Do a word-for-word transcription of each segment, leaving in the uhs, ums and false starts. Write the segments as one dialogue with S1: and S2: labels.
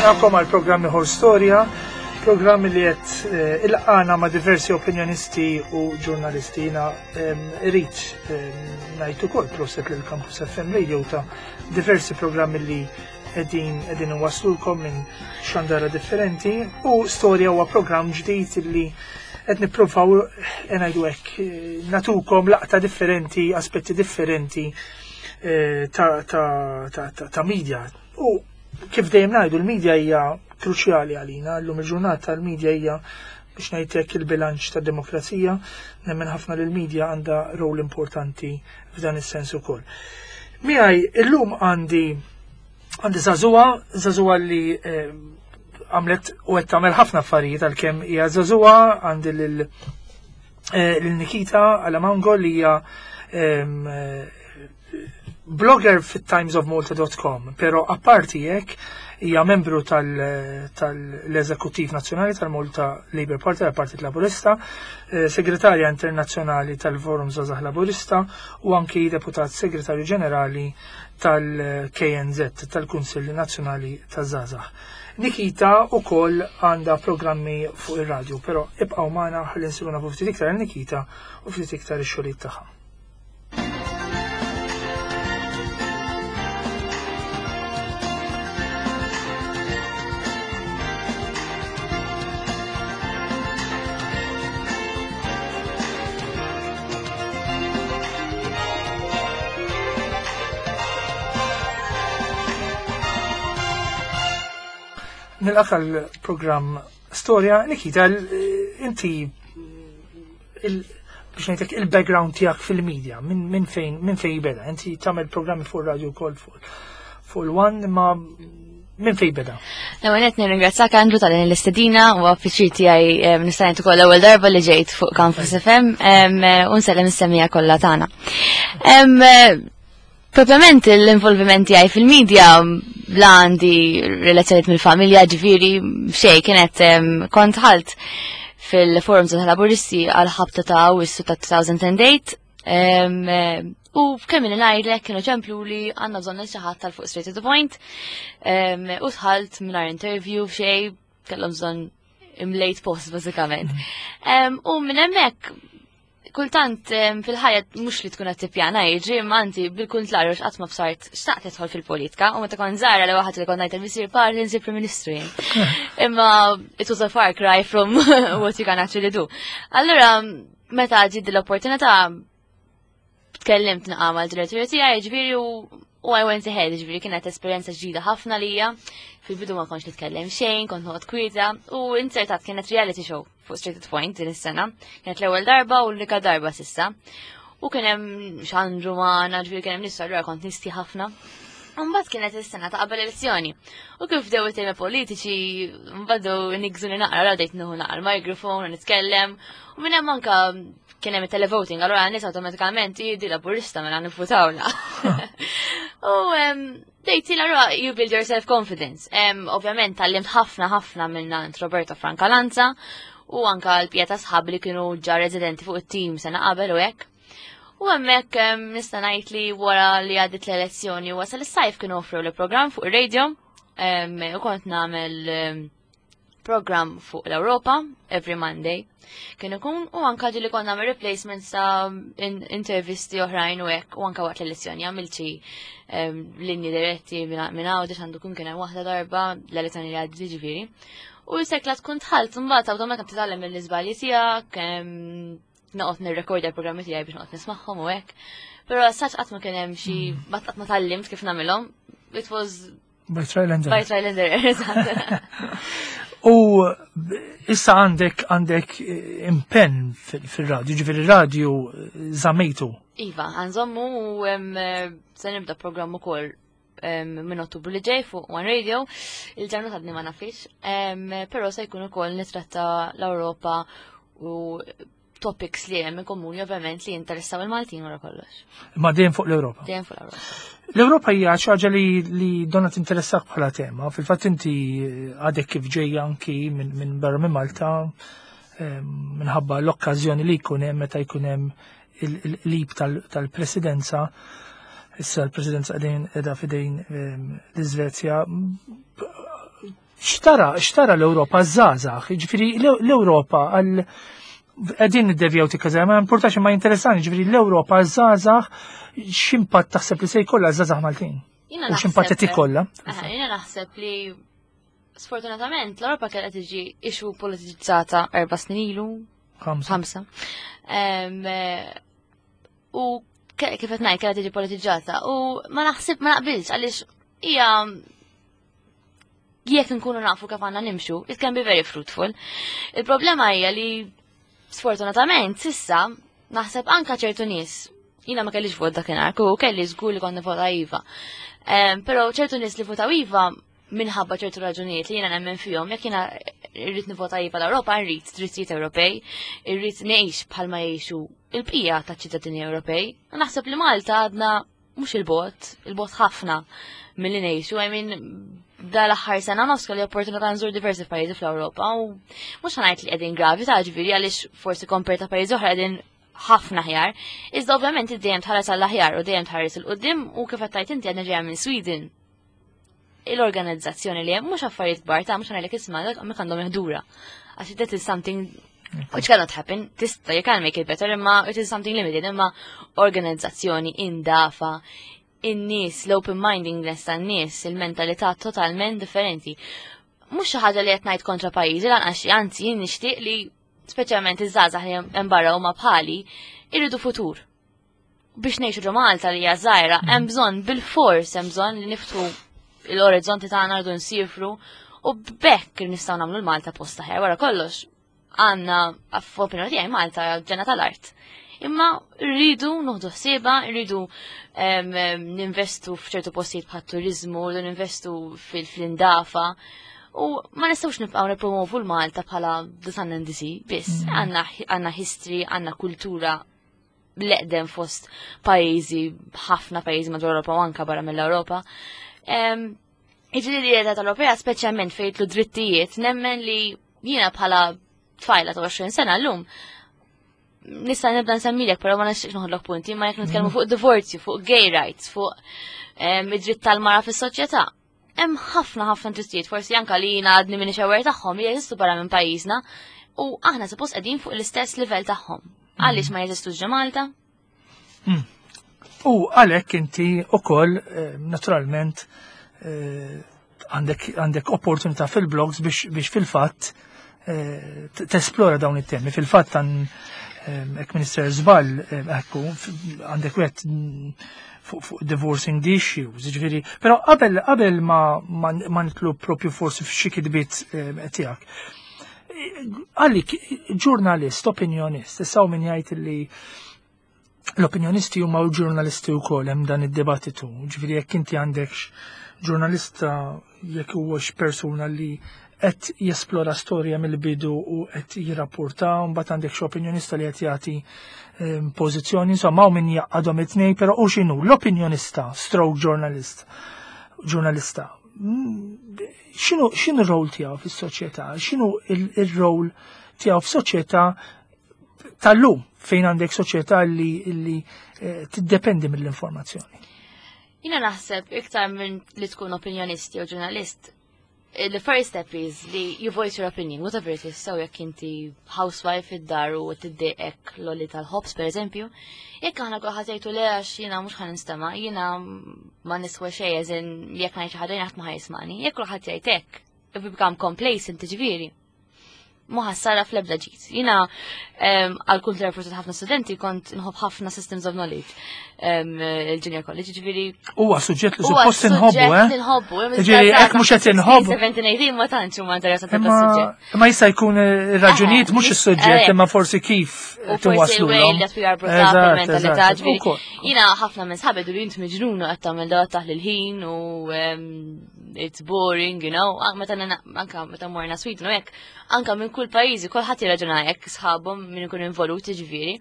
S1: Nilqakom għal programm ieħor Storja, programm li qed eh, ilqana ma' diversi opinjonisti u ġurnalisti. Jiena irrid ngħid ukoll proset lil Campus F M Radio ta' diversi programmi li qegħdin qegħdin iwasslulkom minn xandara differenti, u Storja huwa programm ġdid li qed nippruvaw, eh, ngħidu hekk, eh, natukom laqta differenti, aspetti differenti eh, ta' ta' ta' ta' ta' media. U kif dejjem ngħidu, l-media hija kruċjali għalina, llum il-ġurnata l-media hija, biex ngħidlek, il-bilanċ tad-demokrazija, nemmen ħafna li l-media għandha rol importanti f'dan is-sens ukoll. Miegħi illum għandi għandi żagħżugħa, żagħżugħa li eh, għamlet u qed tagħmel ħafna affarijiet għalkemm hija żagħżugħa. Għandi lil eh, lil Nikita Alamango li hija em, eh, blogger fit-timesofmalta punt com, pero apparti hekk hija membru tal-Eżekuttiv Nazzjonali tal-Malta Labour Party, tal-Partit Laburista, eh, segretarja internazzjonali tal-Forum Żgħażagħ Laburista u anki deputat segretarju ġenerali tal-K N Z, tal-Kunsill Nazzjonali taż-Żgħażagħ. Nikita ukoll għandha programmi fuq ir-radju, però ibqgħu magħna ħalli nsiru nafu ftit iktar Nikita u ftit iktar ix-xogħlijiet tagħha. Nilqak għal-programm Storja. Nikita, inti il- biex ngħidlek, il-background tiegħek fil-media, minn min fejn min fejn beda? Inti tagħmel programmi fuq radio wkoll fuq fuq il-One, ma minn fejn beda?
S2: L-ewwel qed nirringrazzjak, Andrew, ta' din l-istedina u pjaċir tiegħi nista' ngħid ukoll l-ewwel darba li ġejt fuq Campus F M u nsellem is-semmiegħa kollha tagħna. Propjament l-involviment tiegħi fil-medja la għandi relazzjoniet mill-familja, ġifieri xejn, kienet kont dħalt fil-Forum tal-Laburisti għal ħabta ta' Awwissu ta' elfejn u tmienja, u kemm li ngħidlek kienu ċemplu li għandna bżonn xi ħadd tal fuq Straight to the Point, u dħalt mingħajr interview f'xejn, kellhom bżonn imlejt post bażikament. U minn hemmhekk kultant fil-ħajja mhux li tkun qed tippjana jiġri, imma anzi bil-kuntrarju, x'qatt ma bsart xtaqt tidħol fil-politika, u meta kont żgħira li waħed li kont ngħid il-missier parli nsir Prim Ministru jien. Imma it was a far cry from what you can actually do. Allura meta ġiet l-opportunità tkellimt naqa mal-direttur tiegħi, ġifieri, u u I went ahead, ġifieri kienet esperjenza ġdida ħafna lija. Fil-bidu ma kontx nitkellem xejn, kont noqgħod kwieta u insertat kienet reality show fuq Straight to Point din is-sena. Kienet l-ewwel darba u l-unika darba s'issa. U kien hemm xandru magħna, ġifieri kien hemm nies, allura kont nisti ħafna. Mbagħad kienet is-sena ta' qabel elezzjoni. U kif bdew it-temi politiċi, mbagħad nigżuni naqra, bdejt nieħu naqra l-mikrofon u nitkellem. U minn hemm anka kien hemm televoting, allura nies awtomatikament jidi Laburista, mela nivvutawla. U dejt allura you build your self confidence. Ovvjament tgħallimt ħafna ħafna minn Roberto Francalanza u anka l-pjeta sħab li kienu ġa residenti fuq it-team sena qabel u hekk. U hemmhekk nista' ngħid li wara li għaddit l-elezzjoni wasal is-sajf, kienu offru li programm fuq ir-radio u kont nagħmel program fuq l-Europa every Monday. Kien ikun u anka ġili konna nagħmel replacements ta' intervisti oħrajn u hekk, u anka waqt l-elezzjoni għamilt xi linji diretti minn Għawdex, għandu kun kien hemm waħda darba l-elezzjoni li għaddiet, ġifieri. U sekla tkun dħalt, mbagħad awtomatikament titgħallem mill-iżbalji tiegħek, noqgħod nirrekordja l-programmi tiegħi biex noqgħod nismagħhom u hekk. Però saċ qatt ma kien hemm xi qatt ma tgħallimt kif nagħmilhom. It was
S1: by trial and error.
S2: By trial and error, eżatt.
S1: U issa għandek għandek impenn fil-radju, ġifieri radio żammejtu.
S2: Iva, għanżommu u se nibda programm ukoll minn Ottubru li ġej fuq One Radio, il-ġurnata għadni ma nafix, però se jkun ukoll nitratta l-Ewropa u topics li hemm komuni, ovvjament, li jinteressaw il-Maltin wara kollox.
S1: Ma dejjem fuq l-Ewropa.
S2: Dejjem fuq l-Ewropa.
S1: L-Ewropa hija xi ħaġa li, li donna tinteressak bħala tema. Fil-fatt inti għadek kif ġejja anki minn min barra minn Malta minħabba l-okkażjoni li jkun hemm meta jkun hemm il-lib tal-presidenza. Issa l-presidenza qegħdin qiegħda f'idejn l-Iżvezja. X'tara, x'tara l-Ewropa żgħażagħ, ġifieri l-Ewropa għal qegħdin niddevjaw tikka, ma importax, ma interessanti, ġifieri l-Ewropa żgħażagħ, x'impatt taħseb li se jkollha żgħażagħ Maltin? U x'impatt qed ikollha?
S2: Jiena naħseb li sfortunatament l-Ewropa kellha tiġi issue politiċizzata erba' snin ilu.
S1: Ħamsa.
S2: U kif qed ngħid, kellha tiġi politiċizzata u ma naħseb, ma naqbilx, għaliex hija jekk nkunu nafu kif għandna nimxu, it can be very fruitful. Il-problema hija li sfortunatament sissa naħseb anka ċertu nies, jiena ma kellix vot dakinhar, u kelli żgur li konna vota iva. Però ċertu nies li votaw iva minħabba ċertu raġunijiet li jiena nemmen fihom, jekk jiena rrid nivota iva l-Ewropa, rrid drittijiet Ewropej, irrid ngħix bħalma jgħixu il-bqija ta' ċittadini Ewropej. Naħseb li Malta għadna mhux il-bogħod, il-bogħod ħafna milli ngħixu. I mean, dal-aħħar sena nofs kelli opportunità nżur diversi pajjiżi fl-Ewropa u mhux ħa ngħid li qegħdin gravi ta', ġifieri għaliex forsi compared ta' pajjiżi oħra qegħdin ħafna ħjar. Iżda ovvjament dejjem tħares għall-aħjar u dejjem tħares 'il quddiem u kif qed inti, għadna ġejja minn Sweden. Il-organizzazzjoni li hemm, mhux affarijiet kbar ta', mhux ngħidlek isma' dak hemmhekk għandhom iħdura. Għax that is something which cannot happen, tista', you can make it better, imma it is something limited, imma organizzazzjoni, indafa, in-nies, l-open mindedness tan-nies, il-mentalità totalment differenti. Mhux xi ħaġa li qed ngħid kontra pajjiżi lanqas, anzi jien nixtieq li speċjalment iż-żgħażagħ li hemm barra huma bħali irridu futur. Biex ngħixu ġo Malta li hija żgħira, hemm bżonn bil-fors, hemm bżonn li niftħu l-orizzonti tagħna, rridu nsifru u b'hekk nistgħu nagħmlu l-Malta posta ħer. Wara kollox għandna, f'opinjoni tiegħi, Malta ġenna tal-art. Imma rridu nieħdu ħsieba, rridu ninvestu f'ċertu postijiet bħat turizmu, rridu ninvestu fil-indafa. U ma nistgħux nibqgħu nippromovu l-Malta bħala the sun and the sea, biss. Mm. Għandna history, għandna kultura l-eqdem fost pajjiżi, ħafna pajjiżi madwar Ewropa u anka barra mill-Ewropa. Iġri li tal-Ewropea, speċjalment fejn jidħlu drittijiet, nemmen li jiena bħala tfajla ta' għoxrin sena l-lum, nista' nibda nsemmilek, però ma nixtieqx noħodlok punti, ma jekk nitkellmu fuq divorzju, fuq gay rights, fuq id-dritt tal-mara fis-soċjetà. Hemm ħafna ħafna drittijiet, forsi anka li jiena għadni minn aware tagħhom, li jeżistu barra minn pajjiżna u aħna suppost qegħdin fuq l-istess livell tagħhom. Għaliex ma jeżistux ġo Malta?
S1: Hmm. U għalhekk inti ukoll eh, naturalment eh, għandek opportunità fil-blogs biex fil-fatt eh, tesplora dawn it-temi. Fil-fatt għan ek Minister Zbal, ekku, għandek wet fuq divorcing the issues, ġifieri, pero qabel qabel ma, ma, ma nidħlu propju forsi f'xi kitbiet tiegħek. Għalik, ġurnalist, opinjonist, issa min jgħid li l-opinjonisti huma ġurnalisti wkoll, hemm dan id-dibattitu, ġifieri jekk inti għandekx ġurnalista, jekk huwax persuna li qed jesplora storja mill-bidu u qed jirrapporta, mbagħad għandek xi opinjonista li qed jagħti ehm, pożizzjoni, insomma hawn min jaqadhom it-tnejn, però u x'inhu l-opinjonista stroke journalist, ġurnalista. Mm, x'inhu x'inhu r-rol tiegħu fis-soċjetà? X'inhu il-rol tiegħu f'soċjetà tal-lum fejn għandek soċjetà li, li eh, tiddependi mill-informazzjoni?
S2: Jiena naħseb iktar minn li tkun opinjonisti u ġurnalist, the first step is li you voice your opinion, whatever it is, so jekk inti housewife id-dar u tiddejqek l-għoli tal-ħobż, per eżempju, jekk aħna kulħadd jgħidu le għax jiena mhux ħa ninstema', jiena ma niswa xejn, as in jekk ngħid xi ħaġa ħadd ma ħa jismagħni, jekk kulħadd jgħid hekk, if we become complacent, ġifieri, ma ħassara fl-ebda ġid. Jiena għal kull forsi ħafna studenti kont nħobb ħafna systems of knowledge il-junior college, ġifieri.
S1: Huwa suġġett li suppost inħobbu, eh?
S2: Nħobbu.
S1: Ġifieri hekk mhux qed inħobbu.
S2: seventeen, eighteen ma tantx huma interessati tas-suġġett.
S1: Imma jista' jkun raġunijiet mhux is-suġġett imma forsi kif
S2: tinwaslulhom. That we are brought up, il-mentalità, ġifieri. Jiena ħafna minn sħabi jgħidu int miġnuna qed tagħmel da, taħli l-ħin u it's boring, you know. Meta anka meta morna Sweden u hekk, anka minn kull pajjiżi kulħadd jirraġuna hekk, sħabhom min ikun involuti ġifieri.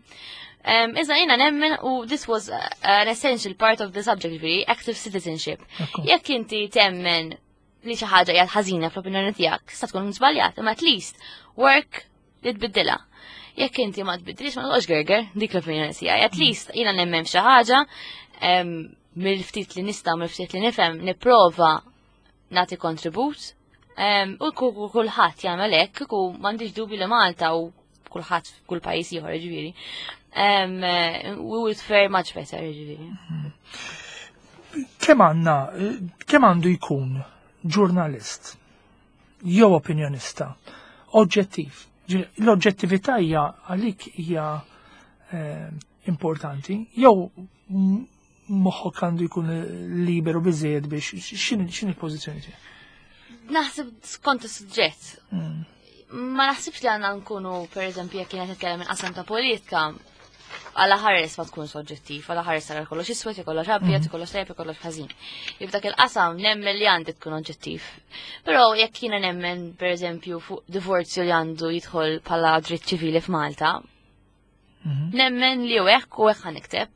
S2: Iżda jiena nemmen u this was an essential part of the subject, ġifieri, active citizenship. Jekk inti temmen li xi ħaġa hija ħażina fl-opinjoni tiegħek, sa tkun żbaljat, imma at least work li tbiddilha. Jekk inti ma tbiddilx, ma toqgħodx gerger, dik l-opinjoni tiegħi. At least jiena nemmen f'xi ħaġa, mill-ftit li nista' mill-ftit li nifhem nipprova nagħti kontribut. U kulħadd jagħmel hekk, kieku m'għandix dubi li Malta u kulħadd kull pajjiż ieħor ġifieri. We would fare much better, ġifieri.
S1: Kemm għandna, kemm għandu jkun ġurnalist jew opinjonista oġġettiv? L-oġġettività hija għalik hija eh, importanti, jew moħħok għandu jkun liberu biżejjed biex x'inhi l-pożizzjoni tiegħek?
S2: Naħseb skont is-suġġett. Mm. Ma naħsibx li għandna nkunu, per eżempju, jekk kienet nitkellem minn qasam ta' politika, għala ħares ma tkun soġġettiv, għala ħares tara kollox iswed, kollox abjad, mhm. kollox tajjeb, kollox ħażin. Jif dak il-qasam nemmen li għandi tkun oġġettiv. Però jekk jiena nemmen, per eżempju, fuq divorzju li għandu jidħol bħala dritt ċivili f'Malta, mhm. nemmen li u hekk u hekk nikteb.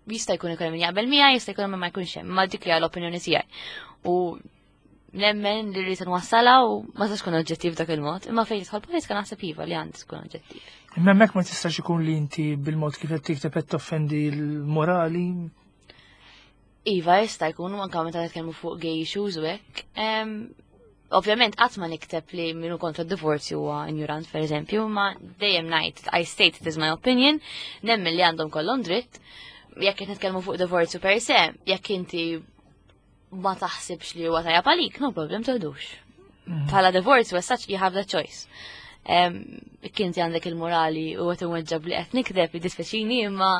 S2: Jista' jkun ikun min jaqbel miegħi, jista' jkun ma jkunx hemm, ma dik hija l-opinjoni tiegħi. U nemmen li rrid nwassala u ma tistax tkun oġġettiv dak il-mod, imma fejn tidħol politika naħseb iva li għandi tkun oġġettiv.
S1: Imma hemmhekk ma tistax ikun li inti bil-mod kif qed tikteb qed toffendi l-morali?
S2: Iva, jista' jkun anke meta nitkellmu fuq gay issues u hekk. Ovvjament qatt ma nikteb li minu kontra d-divorzju huwa ignorant, per eżempju, ma dejjem ngħid I state it is my opinion, nemmen li għandhom kollhom dritt. Jekk qed nitkellmu fuq divorzju per se, jekk inti ma taħsibx li huwa tajjeb għalik, no problem, toħdux. Mhm. Bħala divorzju as such you have the choice. Kinti għandek il-morali u għet imweġġab li qed nikdeb jiddispjaċini, imma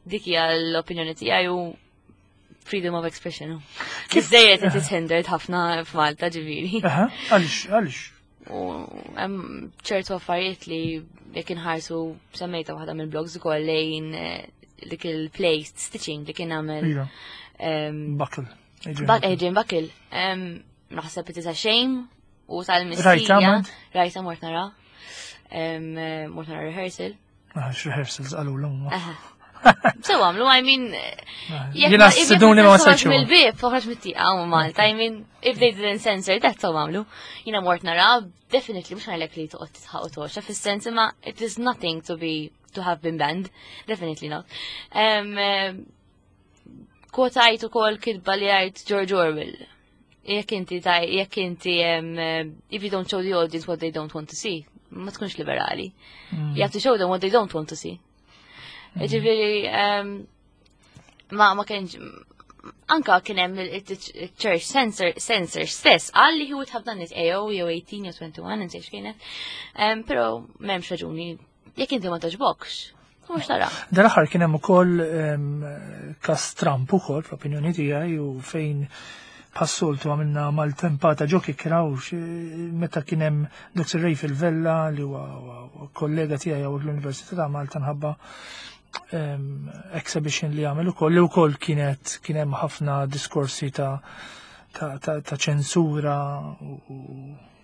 S2: dik hija l-opinjoni tiegħi u freedom of expression. Kif dejjem it is hindered ħafna f'Malta, ġifieri.
S1: Għaliex, għaliex?
S2: U hemm ċertu affarijiet li jekk inħarsu, semmejta waħda mill-blogs ukoll, lejn eh, dik il-play Stitching li kien għamel
S1: Iva. Buckle.
S2: Adrian Buckle. Naħseb it is a shame u tal-mistija.
S1: Rajta?
S2: Rajta, mort nara. Mort nara rehearsal.
S1: Ah, rehearsals għalu l-umma.
S2: So għamlu, I mean,
S1: Jena s-siduni ma sajċu.
S2: Mill-bib, toħroġ mit-tieqa u Malta, I mean, if they didn't censor that, so għamlu. Jena mort nara, definitely, mux ngħidlek li toqgħod titħaq u toxa, fis-sens imma it is nothing to be, to have been banned, definitely not. Um, Kwotajt ukoll kitba li għajt George Orwell. Jekk inti taj, jekk inti, if you don't show the audience what they don't want to see, ma tkunx liberali. Mm. You have to show them what they don't want to see. Mm. Ġifieri, ma ma kienx anka kien hemm il-church censor censor stess qal li he would have done it A O jew eighteen jew twenty-one, insejx kienet. Però m'hemmx raġuni jekk inti ma toġbokx. Mhux tara.
S1: Dal-aħħar kien hemm ukoll kas Trump ukoll, fl-opinjoni tiegħi, u fejn passoltu għamilna mal-tempata ġo kikra u meta kien hemm Doctor Ray Vella li huwa kollega tiegħi l-Università ta' Malta nħabba exhibition li għamel ukoll, li wkoll kienet kien hemm ħafna diskorsi ta' ta' ta' ċensura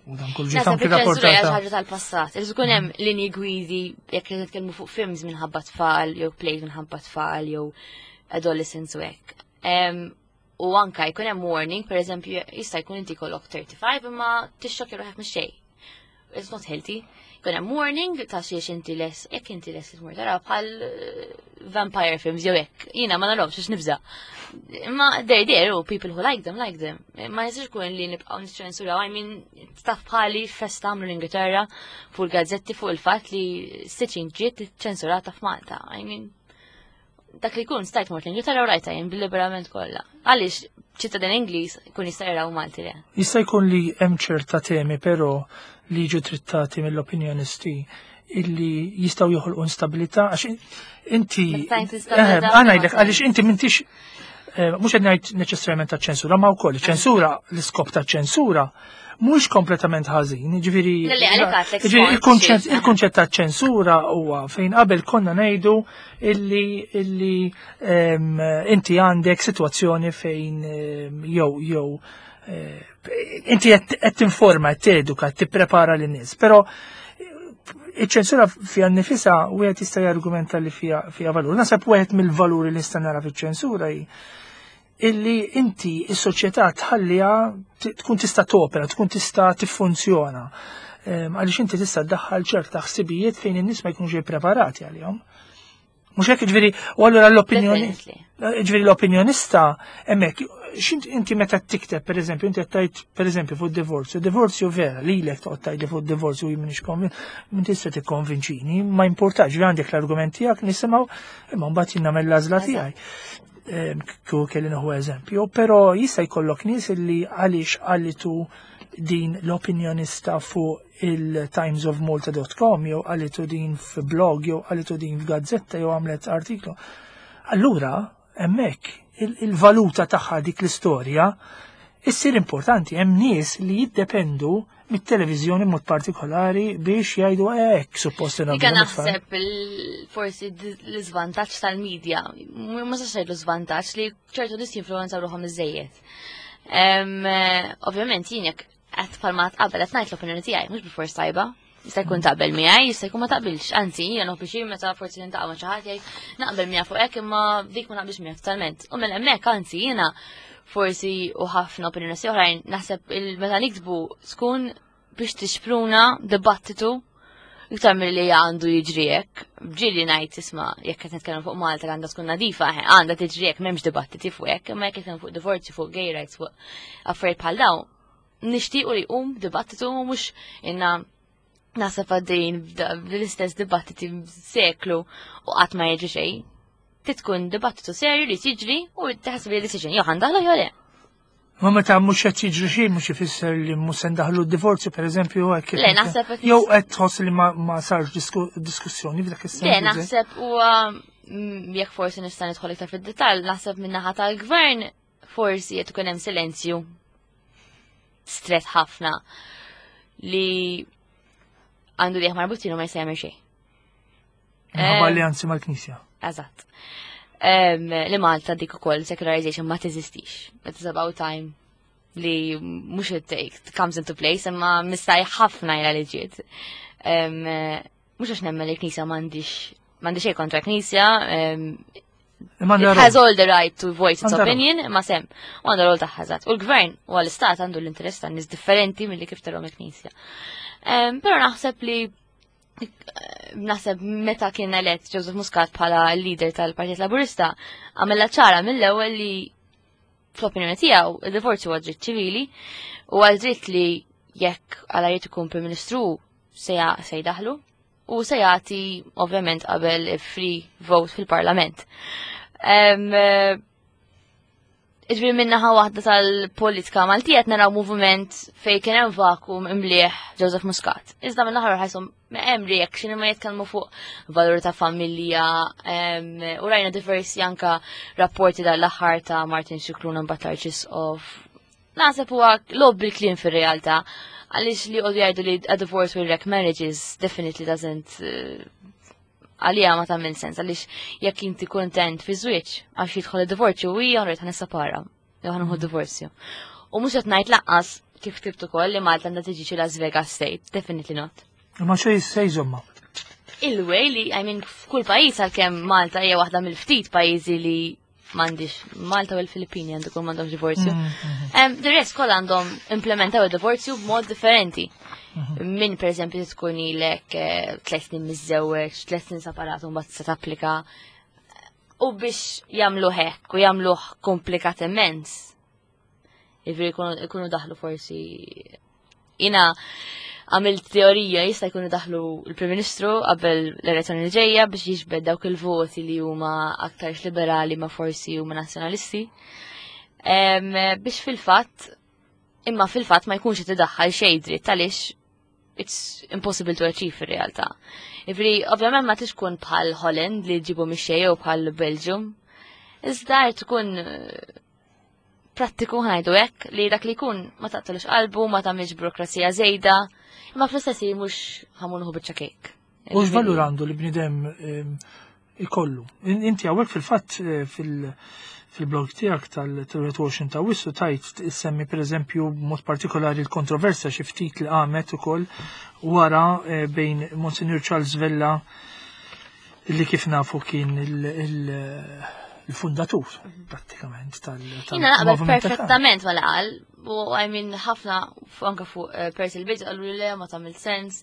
S1: u dan kull
S2: ġiet anki rapportata. Ħaġa tal-passat. Irid ikun hemm linji gwidi jekk qed nitkellmu fuq films minħabba tfal jew plays minħabba tfal jew adolescents u hekk. U anka jkun hemm warning, per eżempju, jista' jkun inti kollok thirty-five imma tixxokja ruħek minn xejn. It's not healthy. Jkun hemm warning ta' xiex inti les, jekk inti les tmur tara bħal eh, vampire films jew hekk. Jiena ma narahomx għax nibża. Imma they're there u people who like them like them. Ma jistax ikun li nibqgħu niċċensuraw. I mean, taf bħali festa għamlu l-Ingilterra fuq il-gazzetti fuq il-fatt li Stitching ġiet ċensurata f'Malta. I mean, dak li kun stajt mort l-Ingilterra u rajta jien bil-liberament kollha. Għaliex ċittadin Ingliż kun jista' jaraw Malti le?
S1: Jista' jkun li hemm ċerta temi però li jiġu trattati mill-opinjonisti illi jistgħu joħolqu instabilità, għax inti
S2: eh,
S1: għanajdlek għaliex inti m'intix eh, mhux qed ngħid neċessarjament ta' ċensura, ma wkoll ċensura, l-iskop ta' ċensura mhux kompletament ħażin, ġifieri il-kunċett ta' ċensura huwa fejn qabel konna ngħidu illi illi inti għandek sitwazzjoni fejn jew jew eh, inti qed tinforma, qed teduka, qed tipprepara lin-nies, però iċ-ċensura fija nifisa wieħed jista' jargumenta li fija fija valur. Nasab wieħed mill-valuri li nista' nara fiċ-ċensura hi illi inti is-soċjetà tħalliha tkun tista' topera, tkun tista' tiffunzjona. Għaliex inti tista' ddaħħal ċerta ħsibijiet fejn in-nies ma jkunux ippreparati għalihom. Mhux hekk, ġifieri, u allura l-opinjoni.
S2: Definitely.
S1: Ġifieri l-opinjonista, hemmhekk, x'int inti meta tikteb, per eżempju, inti qed tgħid, per eżempju, fuq divorzju, divorzju vera, lilek toqgħod tgħidli fuq divorzju jien m'iniex konvin, min tista' tikkonvinċini, ma importax, ġifieri għandek l-argument tiegħek, nisimgħu, imma mbagħad jien nagħmel l-għażla tiegħi. Em, Kieku kelli nieħu eżempju, però jista' jkollok nies li għaliex qalitu din l-opinjonista fuq il-timesofmalta punt com jew qalitu din f'blog jew qalitu din f'gazzetta jew għamlet artiklu. Allura, hemmhekk il- il-valuta tagħha dik l-istorja issir importanti. Hemm nies li jiddependu mit-televiżjoni mod partikolari biex jgħidu hekk suppost
S2: Dika
S1: nagħmlu mit-tfal.
S2: Naħseb il- forsi d- l-iżvantaġġ tal-medja, ma sax ngħid l-iżvantaġġ li ċertu nies jinfluwenzaw ruħhom iżejjed. Em, eh, Ovvjament jien jekk qed bħalma qabel qed ngħid l-opinjoni tiegħi mhux bilfors tajba. Jista' jkun taqbel miegħi, jista' jkun ma taqbilx. Anzi, jiena nieħu pjaċir meta forsi niltaqa' ma' xi ħadd jgħid naqbel miegħek fuq hekk imma dik ma naqbilx miegħek totalment. U minn hemmhekk anzi jiena forsi u ħafna opinjoni oħrajn naħseb il meta niktbu tkun biex tixpruna dibattitu iktar milli għandu jiġri hekk. Ġieli ngħid, isma', jekk qed nitkellem fuq Malta għandha tkun nadifa, eh, għandha tiġri hekk, m'hemmx dibattiti fuq hekk, imma jekk qed fuq divorzju, fuq gay rights, fuq affarijiet bħal dawn, nixtiequ li jqum dibattitu, mhux inna naħseb għaddejn bl-istess dibattiti seklu u qatt ma jiġri xejn. Titkun dibattitu serju li tiġri u taħseb li decision jew ħa ndaħlu jew le.
S1: Ma meta mhux qed jiġri xejn mhux ifisser li mhux se ndaħlu d-divorzju, pereżempju, hekk.
S2: Le, naħseb qed
S1: Jew qed tħoss li ma, ma sarx disku, diskussjoni f'dak is-sens.
S2: Le, naħseb huwa mm, jekk forsi nista' nidħol iktar fid-dettall, naħseb min-naħa tal-gvern forsi qed ikun hemm silenzju stret ħafna li għandu liħ marbutin u ma jista' jagħmel xejn.
S1: Minħabba
S2: Eh,
S1: alleanzi mal-Knisja.
S2: Eżatt. Em, Li Malta dik ukoll secularization ma teżistix. It is about time li mhux it take comes into place, imma mistaj ħafna jla li ġiet. Em, Mhux għax nemmen li l-Knisja m'għandix m'għandix xejn kontra Knisja, em,
S1: Imma
S2: it has all the right to voice its
S1: Għandha rol.
S2: opinion, ma sem, u għandha rol tagħha eżatt. U l-gvern u għall-istat għandu l-interess ta' nies differenti milli kif tarhom il-Knisja. Em, Però naħseb li naħseb meta kien elett Joseph Muscat bħala leader tal-Partit Laburista, għamela ċara mill-ewwel li fl-opinjoni tiegħu id-divorzju huwa dritt ċivili u għal dritt li jekk għala jrid ikun Prim Ministru se ja- se jdaħlu u se jagħti ovvjament qabel free vote fil-Parlament. Em, eh, Iġbiri minnaħa waħda tal-politika Maltija qed naraw moviment fej kien hemm vacuum imlieh Joseph Muscat. Iżda minnaħa ħajsom hemm reaction imma jitkellmu fuq valur ta' familja em, u rajna diversi anka rapporti dal-aħħar ta' Martin Scicluna mbagħad Arċisqof. Naħseb huwa logħob bil-kliem fir-realtà għaliex li qogħdu jgħidu li a divorce will wreck marriages definitely doesn't eh, għalija ma tagħmel sens, għaliex jekk inti kontent fi żwieġ għax jidħol id-divorzju u hija rrid ħa nissepara jew ħa nieħu divorzju. U mhux qed ngħid lanqas kif ktibt ukoll li Malta għandha tiġi xi Las Vegas State, definitely not.
S1: Ma xej se jżomma.
S2: Il-way li, I mean, f'kull pajjiż, għalkemm Malta hija waħda mill-ftit pajjiżi li m'għandix, Malta u l-Filippini għandu kull m'għandhomx divorzju. Um, the rest kollha għandhom implementaw id-divorzju b'mod differenti. Min per eżempju tkun ilek eh, tliet snin miżżewweġ, tliet snin separat u mbagħad se tapplika. U biex jagħmlu hekk u jagħmluh komplikat immens. Jiġifieri jkunu jkunu daħlu forsi, jiena għamilt teorija, jista' jkunu daħlu l-Prim Ministru qabel l-elezzjoni li ġejja biex jiġbed dawk il-voti li huma aktar liberali ma forsi huma nazzjonalisti. Em, biex fil-fatt, imma fil-fatt ma jkunx qed idaħħal xejn dritt għaliex it's impossible to achieve fir-realtà. Jiġifieri, ovvjament ma tix tkun bħal Holland li ġibu mix-xejn jew bħal Belgium. Iżda jrid tkun eh, prattiku, ħa ngħidu hekk, li dak li jkun ma taqtalux qalbu, ma tagħmilx burokrazija żejda, imma fl-istess ħin mhux ħa mmur nieħu biċċa kejk.
S1: U x'valur għandu li bnidem em, ikollu? In- Inti hawnhekk fil-fatt eh, fil- fil-blog tiegħek tal-wieħed u għoxrin ta' Awwissu tajt issemmi pereżempju b'mod partikolari l-kontroversja xi ftit li qamet ukoll wara eh, bejn Monsignor Charles Vella, li kif nafu kien il- il- il-fundatur prattikament tal
S2: Jiena naqbel
S1: tal-moviment ta'
S2: perfettament ma laqal, u I mean ħafna fu- anka fuq eh, Percy il-Bidż qalu li le, ma tagħmel sens.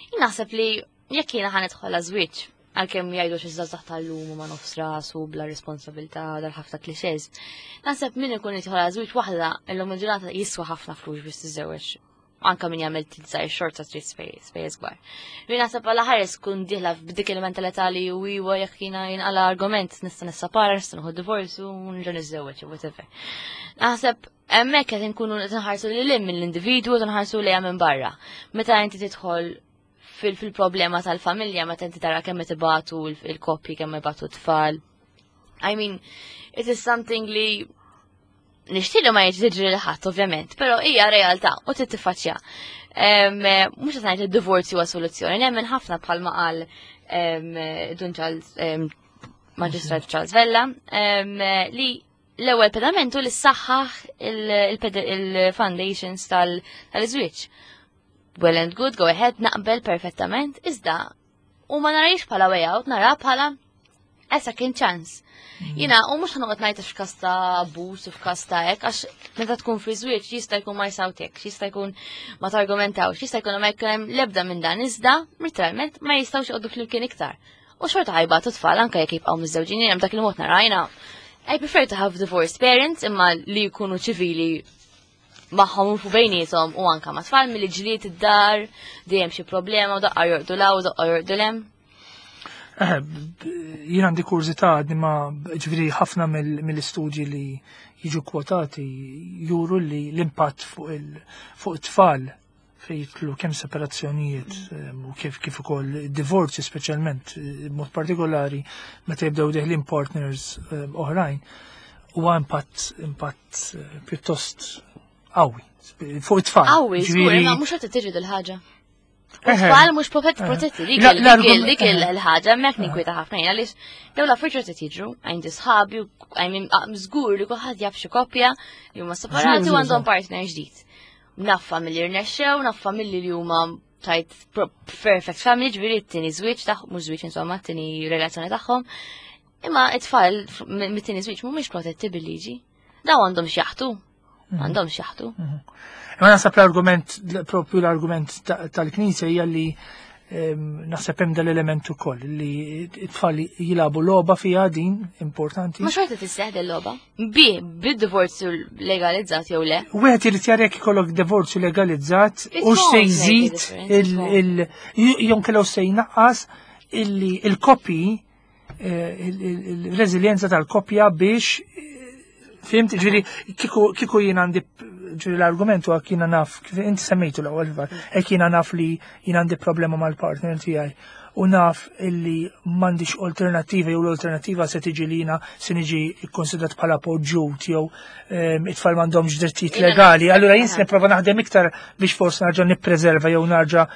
S2: Jien naħseb li jekk jiena ħa nidħol żwieġ Għalkemm jgħidu xi żgħażagħ tal-lum ma nofs rasu bla responsabilità, dal-ħafna clichés. Naħseb min ikun jidħol żwieġ waħda illum il-ġurnata jiswa ħafna flus biex tiżżewweġ. Anka min jagħmel tilżaj xorta trid spejjeż kbar. Min naħseb għal ħares kun dieħla b'dik il-mentalità li u iwa jekk jiena jinqala argument nista' nissapara, nista' nieħu divorzju u nerġa' niżżewweġ, whatever. Naħseb hemmhekk qed inkunu qed nħarsu lil hinn mill-individwu u nħarsu lejha minn barra. Meta inti tidħol fil-problema tal-familja, meta inti tara kemm qed ibatu il-koppji, kemm ibatu t-tfal. I mean, it is something li nixtieq li ma jiġri lil ħadd ovvjament, però hija realtà u trid tiffaċċja. Mhux qed ngħid id-divorzju huwa soluzzjoni, nemmen ħafna bħalma qal Dun Charles, Maġistrat Charles Vella, li l-ewwel pedamentu li ssaħħaħ il-foundations tal-iżwieġ. Well and good, go ahead, naqbel perfettament, iżda u ma narix bħala way out, nara bħala a second chance. Mm. Jina, u mux ħa noqgħod ngħid f'każ ta' abbuż u f'każ ta' hekk, għax meta tkun fi żwieġ jista' jkun ma jsawtek, jista' jkun ma targumentawx, jista' jkun ma jkun hemm l-ebda minn dan, iżda literalment ma jistgħux joqogħdu flimkien iktar. U xorta ħa jbatu tfal anke jekk jibqgħu miżżewġin, hemm dak il-mod narajna. I prefer to have divorced parents imma li jkunu ċivili magħhom u bejniethom u anka ma' tfal milli ġlied id-dar, dejjem xi problema u daqqa jorqdu 'l hawn u daqqa jorqdu 'l hemm.
S1: Eh, jien għandi kurżità għadni ma ġifieri ħafna mill-istudji li jiġu kwotati juru li l-impatt fuq it-tfal fejn jidħlu kemm separazzjonijiet u kif kif ukoll divorzju, speċjalment b'mod partikolari meta jibdew deħlin partners oħrajn, huwa impatt impatt eh, pjuttost qawwi fuq it-tfal.
S2: Qawwi, żgur, imma mhux qed tiġi dil-ħaġa. Tfal mhux protetti, dik dik il-ħaġa hemmhekk ninkwieta ħafna jien għaliex dawn l-affarijiet qed jiġru, għandi sħabi, żgur li kulħadd jaf xi koppja li huma separati u għandhom partner ġdid. Naf familji rnexxew, naf familji li huma tajt perfect family, ġifieri t-tieni żwieġ tagħhom, mhux żwieġ insomma, t-tieni relazzjoni tagħhom. Imma it-tfal mit-tieni żwieġ mhumiex protetti bil-liġi. Daw għandhom x'jaħtu. Għandhom x'jaħtu.
S1: Imma naħseb l-argument, propju l-argument tal-Knisja hija li naħseb hemm dal-element ukoll li t-tfal jilagħbu logħba fiha din importanti.
S2: Ma xorta tisseħ del-logħba. Bi, bid-divorzju legalizzat jew le.
S1: Wieħed irid jara jekk ikollok divorzju legalizzat u se jżid il jew kellu se jnaqqas illi il-koppji, il-reżiljenza tal-koppja biex, fhimt, ġifieri kieku jien għandi, ġifieri l-argumentu għak jiena naf, kif inti semmejtu l-ewwel, hekk jiena naf li jien għandi problema mal-partner tiegħi u naf illi m'għandix alternativa jew l-alternativa se tiġi li jiena se niġi kkonsidrat bħala poġġut jew it-tfal m'għandhomx drittijiet legali. Allura jien se nipprova naħdem iktar biex forsi narġa' nippreserva jew narġa'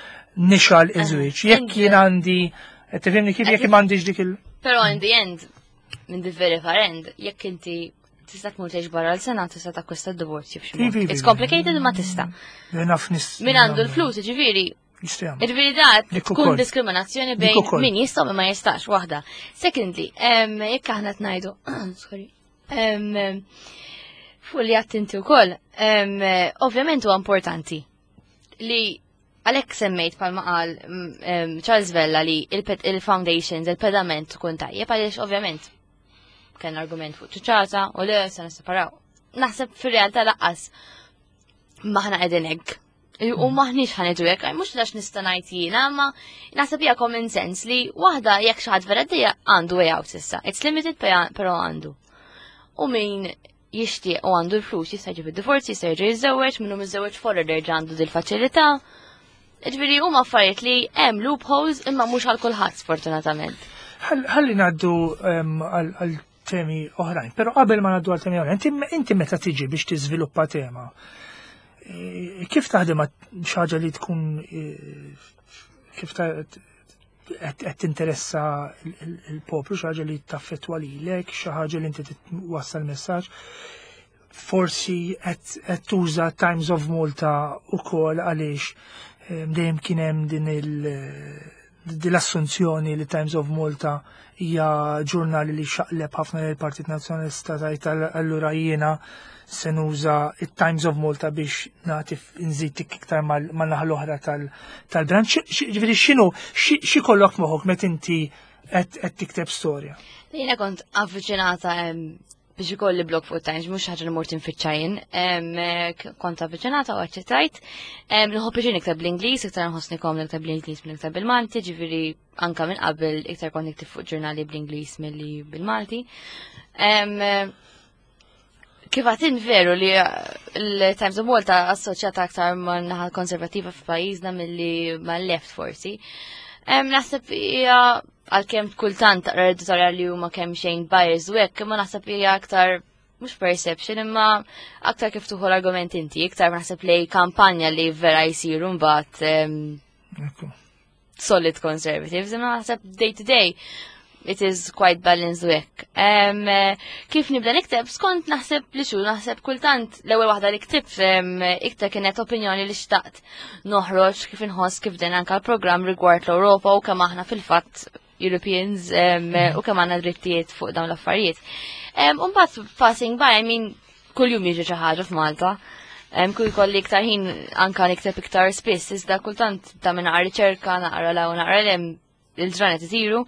S1: nixgħel iż-żwieġ. Jekk jien għandi, tifhimni kif, jekk m'għandix dik il-
S2: Però in the end, minn the very far end, jekk inti tista' tmur tgħix barra l-sena, tista' takkwista d-divorzju b'xi mod. It's complicated, ma tista'.
S1: Naf nis.
S2: Min għandu l-flus, ġifieri. Ġifieri da tkun diskriminazzjoni bejn min jista' u ma jistax, waħda. Secondly, jekk aħna tnajdu, sorry, fuq li għedt inti wkoll, ovvjament huwa importanti li għalhekk semmejt palma qal Charles Vella li il-foundations, il-pedament tkun tajjeb, għaliex ovvjament kien argument fuq ċaċata u le se nisseparaw. Naħseb fir-realtà lanqas maħna qegħdin hekk. U maħniex ħa ngħidu hekk, mhux għax nista' ngħid jiena, ma naħseb hija common sense li waħda jekk xi ħadd vera dejja għandu way out issa. It's limited, però għandu. U min jixtieq u għandu l-flus jista' jġib id-divorzju, jista' jerġa' jiżżewweġ, minnu miżżewweġ forward jerġa' għandu dil-faċilità. Ġifieri huma affarijiet li hemm loopholes imma mhux għal kulħadd, sfortunatament.
S1: Ħalli ngħaddu għal temi oħrajn, però qabel ma ngħaddu għal temi oħrajn, inti meta tiġi biex tiżviluppa tema, e, kif taħdem xi ħaġa li tkun e, kif qed tinteressa il-poplu, xi ħaġa li taffettwa lilek, xi ħaġa li inti twassal messaġġ? Forsi qed tuża Times of Malta ukoll għaliex dejjem kien hemm din il l-assunzjoni li Times of Malta hija ġurnali li xaqleb ħafna lill-Partit Nazzjonalista, tajt allura jiena se nuża it-Times of Malta biex nagħti nżid iktar mal-naħa l-oħra tal-branch. Ġifieri x'inhu xi kollok moħħok meta inti Qed tikteb storja?
S2: Jiena kont avviċinata biex ikolli blog fuq Times, mhux ħaġa li mort infittxa jien. Kont avviċinata u aċċettajt. Nħobb biex nikteb bl-Ingliż, iktar nħossni komda nikteb bl-Ingliż milli nikteb bil-Malti, ġifieri anka minn qabel iktar kont nikteb fuq ġurnali bl-Ingliż milli bil-Malti. Kif għatin veru li l-Times of Malta assoċjata aktar ma' naħa konservativa f'pajjiżna milli ma' left forsi. Naħseb hija, għalkemm kultant taqra editorial li huma kemm xejn bias u hekk, imma naħseb hija aktar mhux perception, imma aktar kif tieħu l-argument inti, iktar naħseb li kampanja li vera jsiru mbagħad solid conservatives, imma naħseb day to day it is quite balanced u hekk. Kif nibda nikteb, skont naħseb li xu, naħseb kultant l-ewwel waħda li ktibt iktar kienet opinjoni li xtaqt noħroġ kif inħoss, kif din anka l-programm rigward l-Ewropa u kemm aħna fil-fatt Europeans u kemm għandna drittijiet fuq dawn l-affarijiet. Umbagħad passing by, I mean, kull jum jiġi xi ħaġa f'Malta. Kull kolli iktar ħin anka nikteb iktar spiss, iżda kultant ta' minn naqra riċerka, naqra la u naqra lem, il-ġranet isiru.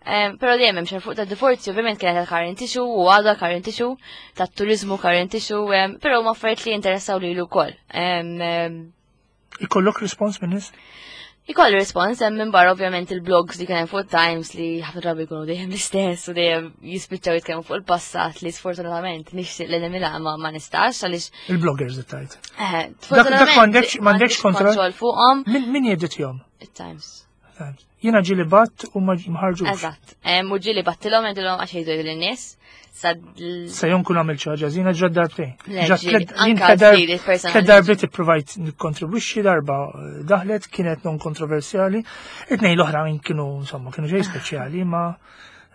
S2: Pero dejjem hemm fuq ta' divorzju, ovvjament kienet current issue u għadha current issue, ta' turizmu current issue, però ma affarijiet li jinteressaw lilu wkoll.
S1: Ikollok respons minn nies?
S2: Ikolli respons, hemm minn barra ovvjament il-blogs li kien hemm fuq Times li ħafna drabi jkunu dejjem l-istess u dejjem jispiċċaw jitkellmu fuq il-passat li sfortunatament nixtieq li nimila ma ma nistax għaliex
S1: Il-bloggers tajt.
S2: Eh,
S1: Dak m'għandekx m'għandekx
S2: kontroll fuqhom.
S1: Min jeditjom?
S2: Il-Times.
S1: Jiena ġieli bgħatt u ma ħarġux.
S2: Eżatt. U ġieli bgħattilhom, għedtilhom għax jgħidu lin-nies.
S1: Sa jon kun għamil ħaġa, jiena ġa darbtejn.
S2: Anka
S1: darbiet ipprovajt nikkontribwixxi, darba daħlet, kienet non kontroversjali. It-tnejn l-oħra kienu, insomma, kienu ġej speċjali, ma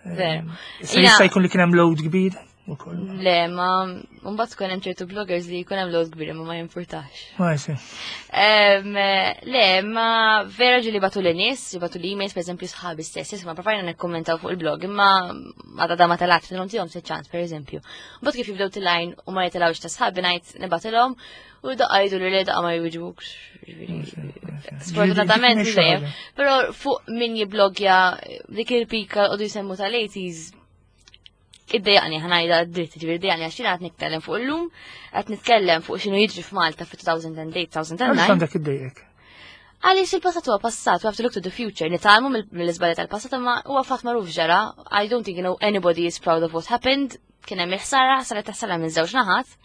S1: se jista' jkun li kien hemm load kbir.
S2: Le, ma mbagħad tkun hemm ċertu bloggers li jkun hemm load kbir imma ma jimpurtax.
S1: Ma jsi.
S2: Le, ma vera ġieli bagħtu lin-nies, bagħtu l-emails, per eżempju sħabi stess, ma provajna nikkommentaw fuq il-blog, imma għadha da ma telgħatx, nagħtihom se ċans, per eżempju. Mbagħad kif jibdew tilajn u ma jitilgħux ta' sħabi, ngħid nibgħatilhom u daqqa jgħidu li le, daqqa ma jwiġbukx. Sfortunatament, dejjem. Però fuq min jiblogja, dik il-pika qogħdu jsemmu tal-eighties, iddejjaqni, ħa ngħidha dritt, ġifieri iddejjaqni għax jiena qed nitkellem fuq illum, qed nitkellem fuq x'inhu jiġri f'Malta fi elfejn u tmienja, elfejn u disa'.
S1: Għandek iddejjek?
S2: Għaliex il-passat huwa passat, we have to look to the future, nitgħallmu mill-iżbalji tal-passat, imma huwa fatt magħruf ġara. I don't think you know anybody is proud of what happened, kien hemm il-ħsara, saret ħsara minn żewġ naħat,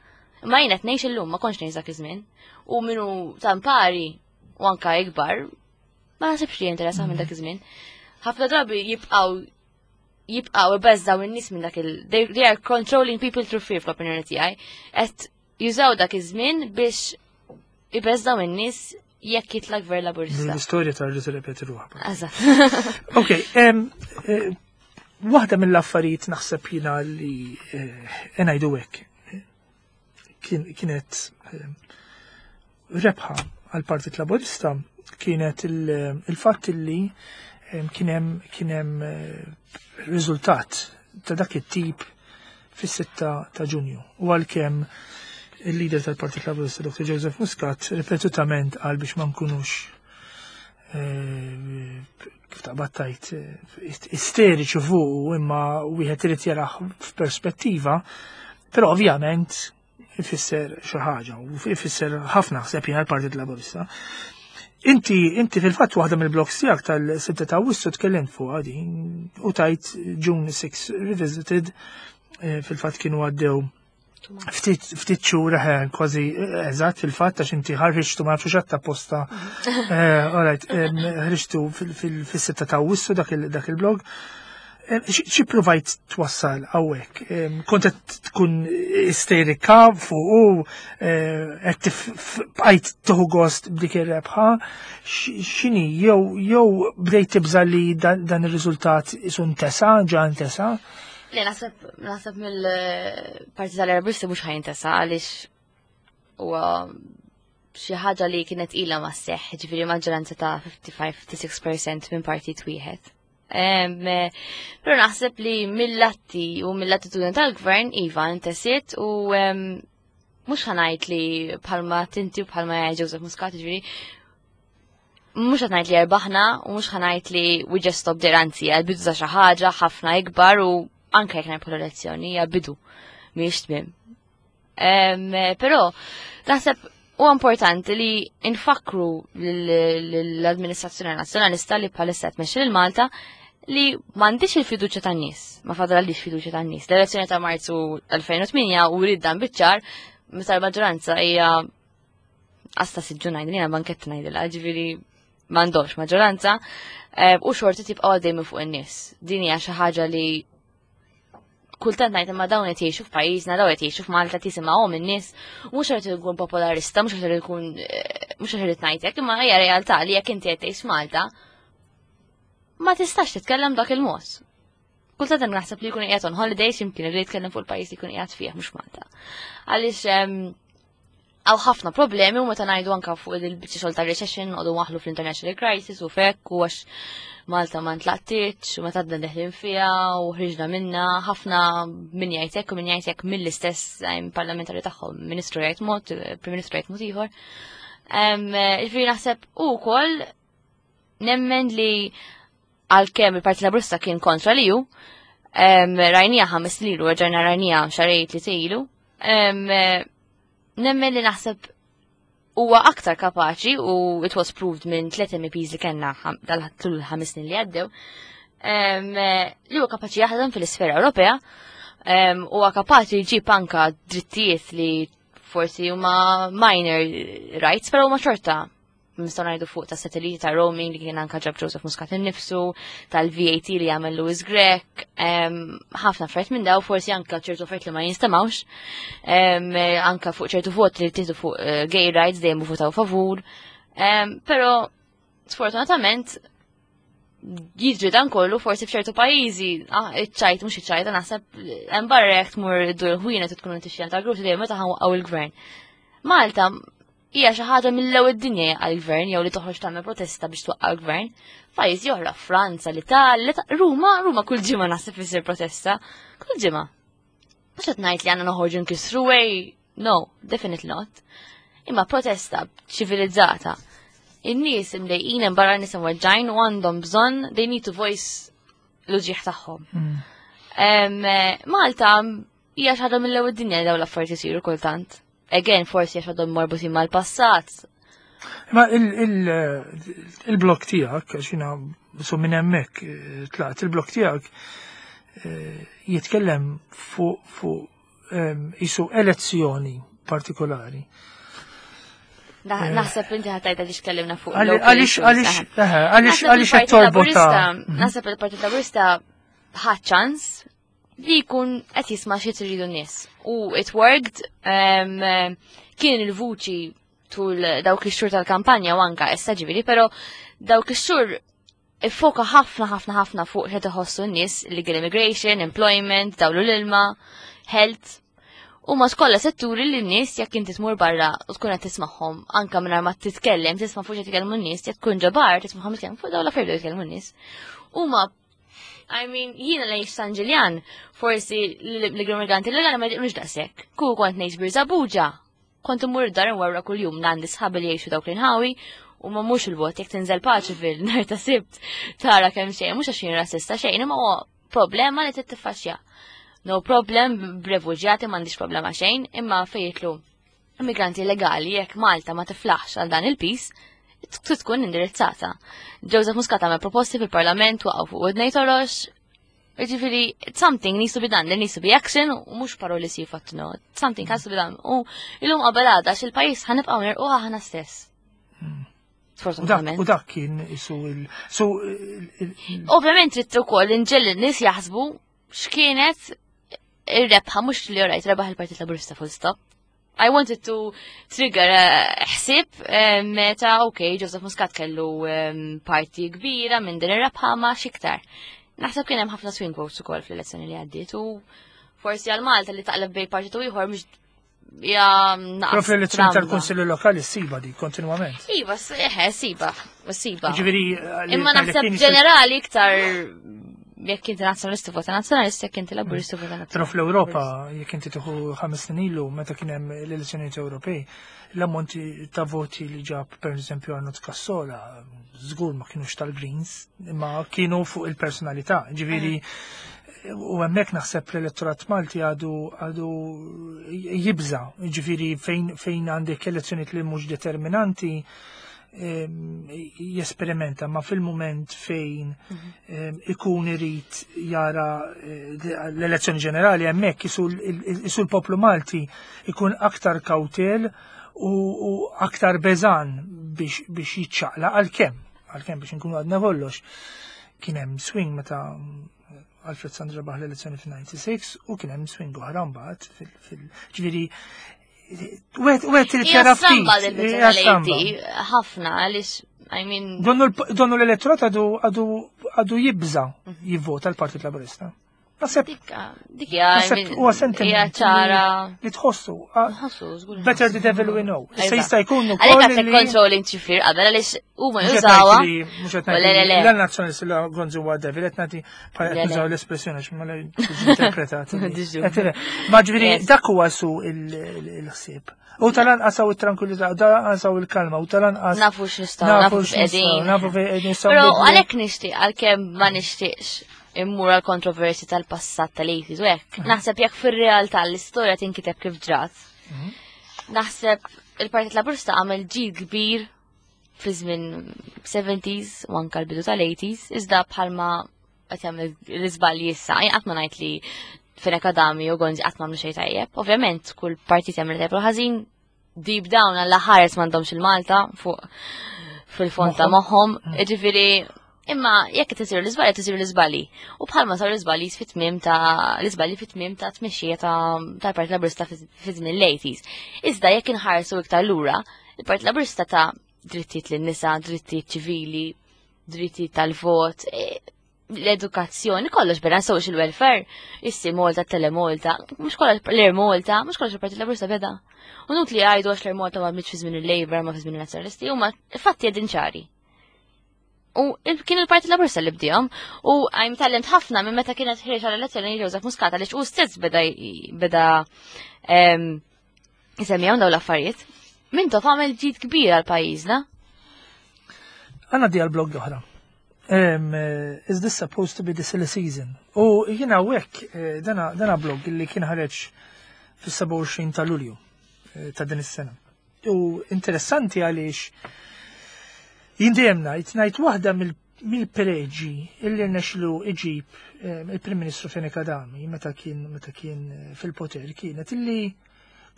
S2: imma jien qed ngħix illum, ma kontx ngħix dak iż-żmien. U minnu tampari u anka ikbar, ma naħsibx li jinteressa minn dak iż-żmien. Ħafna drabi jibqgħu jibqaw ibeżżaw in-nies minn dak il they, they are controlling people through fear fl-opinjoni tiegħi. Qed jużaw dak iż-żmien biex ibeżżaw in-nies jekk jitla' gvern Laburista.
S1: L-istorja tarġa' tirrepeti ruħha.
S2: Eżatt.
S1: Ok, em, eh, waħda mill-affarijiet naħseb jiena li eh, ngħidu hekk kien- kienet eh, rebħa għal Partit Laburista kienet il- il-fatt li em, kien hemm kien hemm eh, riżultat ta' dak it-tip fis-sitta ta' Ġunju. U għalkemm il-leader tal-Partit Laburista Doktor Joseph Muscat ripetutament qal biex ma nkunux eh, kif taqbad tajt eh, isteriċi fuq, imma wieħed irid jarah f'perspettiva, però ovvjament ifisser xi ħaġa u ifisser ħafna ħseb jiena l-Partit Laburista. Inti, inti fil-fatt waħda mill-blogs tiegħek tal-sitta ta' Awwissu tkellimt fuq din u tajt June six Revisited, eh, fil-fatt kienu għaddew ftit ftit xhur, eh, kważi, eh, eżatt, fil-fatt għax inti ħarriġtu, ma nafx xatta posta. Eh, alright, em, ħriġtu fil-sitta ta' Awwissu dak il- dak il-blog. Em, xi xi provajt twassal hawnhekk? Em, Kont qed tkun isterika fuq u eh, qed tif- f- bqajt tieħu gost b'dik ir-rebħa? X- X'inhi jew jew bdejt tibża li dan dan ir-riżultat isu ntesa, ġa ntesa?
S2: Le, naħseb naħseb mill-Partit tal-Laburisti mhux ħa jintesa għaliex huwa xi ħaġa li kienet ilha ma sseħħ, ġifieri maġġoranza ta' ħamsa u ħamsin-sitta u ħamsin fil-mija minn partit wieħed. Em, eh, Però naħseb li mill-atti u mill-attitudni tal-gvern iva intesiet u em, mhux ħa ngħid li bħalma tinti u bħalma jgħid Joseph Muscat, ġifieri Mhux qed ngħid li erbaħna u mhux ħa ngħid li we just stop there, anzi għal-bidu ta' xi ħaġa ħafna ikbar u anke jekk nirbħu l-elezzjoni hija bidu mhijiex tmiem. Però naħseb huwa importanti li nfakru l-amministrazzjoni nazzjonalista li bħalissa tmexxi lil Malta li m'għandix il-fiduċja tan-nies, ma fadalix fiduċja tan-nies. L-elezzjoni ta' Marzu elfejn u tmienja u rid dan biċ-ċar meta l-maġġoranza hija għasta siġġu ngħidil, jiena bankett ngħidilha, ġifieri m'għandhomx maġġoranza eh, u xorti tibqa' għaddej minn fuq in-nies. Din hija xi ħaġa li kultant ngħid, imma dawn qed jgħixu f'pajjiżna, dawn qed jgħixu f'Malta, tisimgħuhom in-nies, mhux qed ikun popolarista, mhux qed ikun eh, mhux qed ngħidlek, imma hija realtà li jekk inti qed tgħix Malta ma tistax titkellem dak il-mod. Kultant naħseb li jkun qiegħed on holidays jimkien li jitkellem fuq il-pajjiż li jkun qiegħed fih, mhux Malta. Għaliex hawn ħafna problemi u meta ngħidu anka fuq il-biċċa xogħol ta' recession noqogħdu waħlu fl-international crisis u fekk u għax Malta ma ntlaqtitx u meta għadna deħlin fiha u ħriġna minna, ħafna min jgħid hekk u min jgħid hekk mill-istess parlamentari tagħhom, ministru jgħid mod, prim ministru jgħid mod ieħor. Ġifieri naħseb ukoll nemmen li għalkemm il-Partit Laburista kien kontra li ju, rajnija ħames lilu, rġajna rajnija xahrejn li ilu, nemmen li naħseb huwa aktar kapaċi u it was proved minn tliet M Ps li kellna dal-tul ħames snin li għaddew, li huwa kapaċi jaħdem fil-isfera Ewropea, huwa kapaċi jġib anka drittijiet li forsi huma minor rights, però huma xorta nistgħu ngħidu fuq ta' satelliti ta' roaming li kien anka ġab Joseph Muscat innifsu, tal-V A T li għamel Louis Grech, ħafna affarijiet minn daw, forsi anka ċertu affarijiet li ma jinstemawx, anka fuq ċertu vot li tieħdu fuq eh, gay rights dejjem votaw favur, però sfortunatament jiġri dan kollu forsi f'ċertu pajjiżi, ah, iċ-ċajt mhux iċ-ċajta, naħseb hemm barra jekk tmur iddur ħwienet tkun tixtri ta' grupp dejjem meta ħa nwaqqgħu il-gvern. Malta hija xi ħaġa mill-ewwel dinja għall-gvern jew li toħroġ tagħmel protesta biex twaqqa' l-gvern. Pajjiżi oħra, Franza, l-Italja, Ruma, Ruma kull ġimgħa naħseb isir protesta. Kull ġimgħa. Mhux qed ngħid li għandna noħorġu nkissru way, no, definitely not. Imma protesta ċivilizzata. In-nies imdejqin hemm barra, nies imweġġajn u għandhom bżonn, they need to voice l-uġieħ tagħhom. Mm. Malta hija xi ħaġa mill-ewwel dinja dawn l-affarijiet isiru kultant. Again, forsi għax għadhom marbutin mal-passat.
S1: Ma il-blok tiegħek, għax jiena so minn hemmhekk eh, tlaqt, il-blok tiegħek eh, jitkellem fuq fuq isu elezzjoni partikolari.
S2: Eh. Naħseb inti ħa tgħidha li x'kellimna fuq.
S1: Għaliex, għaliex, għaliex, għaliex qed torbota.
S2: Naħseb il-Partit Laburista ħa ċans li jkun qed jisma' xi tridu n-nies. U it worked, kien il-vuċi tul dawk ix-xhur tal-kampanja u anka issa ġifieri, però dawk ix-xhur iffoka ħafna ħafna ħafna fuq x'qed iħossu n-nies: legal immigration, employment, dawlu l-ilma, health. U ma kollha setturi li n-nies jekk inti tmur barra u tkun qed tismagħhom anka mingħajr ma titkellem, tisma' fuq xi jitkellmu n-nies, jekk tkun ġo bar tismagħhom jitkellmu fuq dawn l-affarijiet jitkellmu n-nies. Huma, I mean, jiena lejx San Ġiljan, forsi l-immigranti legali ma jmux daqshekk. Ku kont ngħix Birżebbuġa, kont imur dar warra kuljum, għandi sħabi li jgħixu dawk l-inħawi u ma mhux il-bot jekk tinżel paċi fil-nar ta' Sibt tara kemm xejn, mhux għax jien rassista xejn, imma huwa problema li tittiffaċċja. No problem b'refuġjati, m'għandix problema xejn, imma fejn jidħlu immigranti legali, jekk Malta ma tiflaħx għal dan il-pis, tkun indirizzata. Joseph Muscat għamel proposti fil-parlament, waqgħu fuq widnejn torox. Ġifieri, something needs to be done, there needs to be action, u mhux paroli sifat, no. Something has to be done. U illum qabel għada xil-pajjiż ħa nibqgħu nirqu aħna stess.
S1: Hmm.
S2: Sfortunatament.
S1: U dak kien isu il.
S2: Ovvjament trid ukoll inġiegħel in-nies jaħsbu x'kienet ir-rebħa, mhux li orajt rebaħ il-Partit Laburista, full stop. I wanted to trigger eh, ħsib eh, meta, ok, Joseph Muscat kellu parti kbira minn din ir-rebħa, ma xiktar. Naħseb kien hemm ħafna swing votes ukoll fl-elezzjoni li għaddiet u forsi għal Malta li taqleb bej partitu ieħor mhux ja
S1: Però fl-elezzjoni tal-Kunsilli Lokali ssiba di kontinwament.
S2: Iva, eħe, siba, siba.
S1: Ġifieri
S2: Imma naħseb ġenerali iktar Jekk inti nazzjonalista vota nazzjonalista, jekk inti laburista vota nazzjonalista.
S1: Però fl-Ewropa, jekk inti tieħu ħames snin ilu meta kien hemm l-elezzjonijiet Ewropej, l-ammonti ta' voti li ġab per eżempju Arnold Cassola, żgur ma kienux tal-Greens, imma kienu fuq il-personalità. Ġifieri, u hemmhekk naħseb l-elettorat Malti għadu għadu jibża, ġifieri fejn fejn għandek elezzjonijiet li mhux determinanti, em, jesperimenta, ma fil-moment fejn em, ikun irid jara eh, l-elezzjoni ġenerali, hemmhekk isu l- isu l-poplu Malti ikun aktar kawtel u, u aktar beżan biex, biex jiċċaqla, għalkemm għalkemm biex nkunu għadna kollox kien hemm swing meta Alfred Sant rebaħ l-elezzjoni fil-disgħa u disgħin u kien hemm swing oħra mbagħad fil- fil ġifieri wieħed wieħed irid
S2: Hija
S1: jara
S2: stramba
S1: ftit.
S2: dil
S1: Hija stramba.
S2: ħafna għaliex, I mean,
S1: Donnu l- donnu l-elettorat għadu għadu għadu jibża jivvota l-Partit Laburista. Naħseb
S2: dik dik hija, I
S1: naħseb
S2: mean,
S1: huwa sentiment
S2: hija ċara.
S1: li tħossu. ah,
S2: Nħossu, żgur.
S1: Better the devil we know. Issa
S2: Eżatt.
S1: jista' jkun
S2: Għalhekk
S1: ukoll
S2: għandek
S1: li
S2: controlling ċifir qabel għaliex huma
S1: Mhux qed
S2: jużawha.
S1: ngħid li- mhux qed
S2: Le,
S1: ngħid
S2: le,
S1: li
S2: le.
S1: la nazzjonalisti la Gonzi huwa devil, qed nagħti bħala
S2: Le,
S1: qed
S2: le.
S1: nużaw l-espressjoni għax ma la tiġi interpretata.
S2: Diġu.
S1: Qed le. Ma ġifieri
S2: Yes.
S1: dak huwa su il- il- il-ħsieb. U tal-anqas hawn it-tranquillità, u tal-anqas hawn il-kalma, u tal-anqas
S2: Nafu x'nistgħu,
S1: nafu
S2: nafu x'qegħdin.
S1: nafu fejn qegħdin nistgħu
S2: Però
S1: nbidlu.
S2: għalhekk nixtieq, għalkemm ma nixtieqx immur għal kontroversi tal-passat tal-eighties u hekk. Naħseb jekk fir-realtà l-istorja tinkiteb kif ġrat. Naħseb il-Partit Laburista għamel ġid kbir fi żmien seventies u anka l-bidu tal-eighties, iżda bħalma qed jagħmel l-iżbalji issa, jien qatt ma ngħid li Fenech Adami u Gonzi qatt m'għamlu xejn tajjeb. Ovvjament kull partit jagħmel tajjeb u ħażin, deep down għalla ħares m'għandhomx il-Malta fuq fil-fond ta' moħħom. Ġifieri, imma jekk qed isiru l-iżbalji, qed isiru l-iżbalji. U bħalma saru l-iżbalji fit-tmiem ta' l-iżbalji fit-tmiem ta' tmexxija ta' tal-Partit Laburista fi żmien l-eighties. Iżda jekk inħarsu iktar lura, il-Partit Laburista ta drittijiet lin-nisa, drittijiet ċivili, drittijiet tal-vot, e, l-edukazzjoni, kollox bena social welfare, issi Malta, Telemolta, mhux kollox l-Air Malta, mhux kollox il-Partit Laburista beda. U nut li għajdu għax l-Air Malta ma bnietx fi żmien il-Labour, ma fi żmien il-Nazzjonalisti, huma fatti qegħdin ċari. U il- kien il-Partit Laburista li bdihom u għajm talent ħafna minn meta kienet ħiereġ għal elezzjoni Joseph Muscat għaliex u stess beda beda em, jisemmihom dawn l-affarijiet. Mintoff għamel ġid kbir għal pajjiżna.
S1: Għanna di għal-blog oħra. Um, uh, is this supposed to be the silly season? U jina wek, eh, dana, dana blog li kien ħareġ fis-sebgħa u għoxrin ta' Lulju eh, ta' din is-sena. U interessanti għaliex jien dejjem ngħid ngħid waħda mill- mill-preġi illi rnexlu iġib eh, il-Prim Ministru Fenech Adami meta kien meta kien eh, fil-poter kienet illi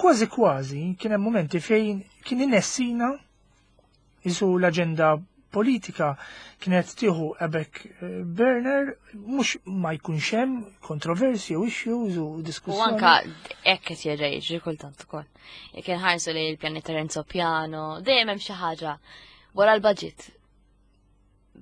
S1: kważi kważi kien hemm momenti fejn kien inessina isu l-aġenda politika kienet tieħu a back eh, burner, mhux ma jkunx hemm kontroversi u issues u
S2: U
S1: diskussjoni.
S2: anka hekk qed jerġa' jiġri kultant ukoll. Jekk inħarsu li l-pjaneta Renzo Piano, dejjem hemm xi ħaġa wara l-budget.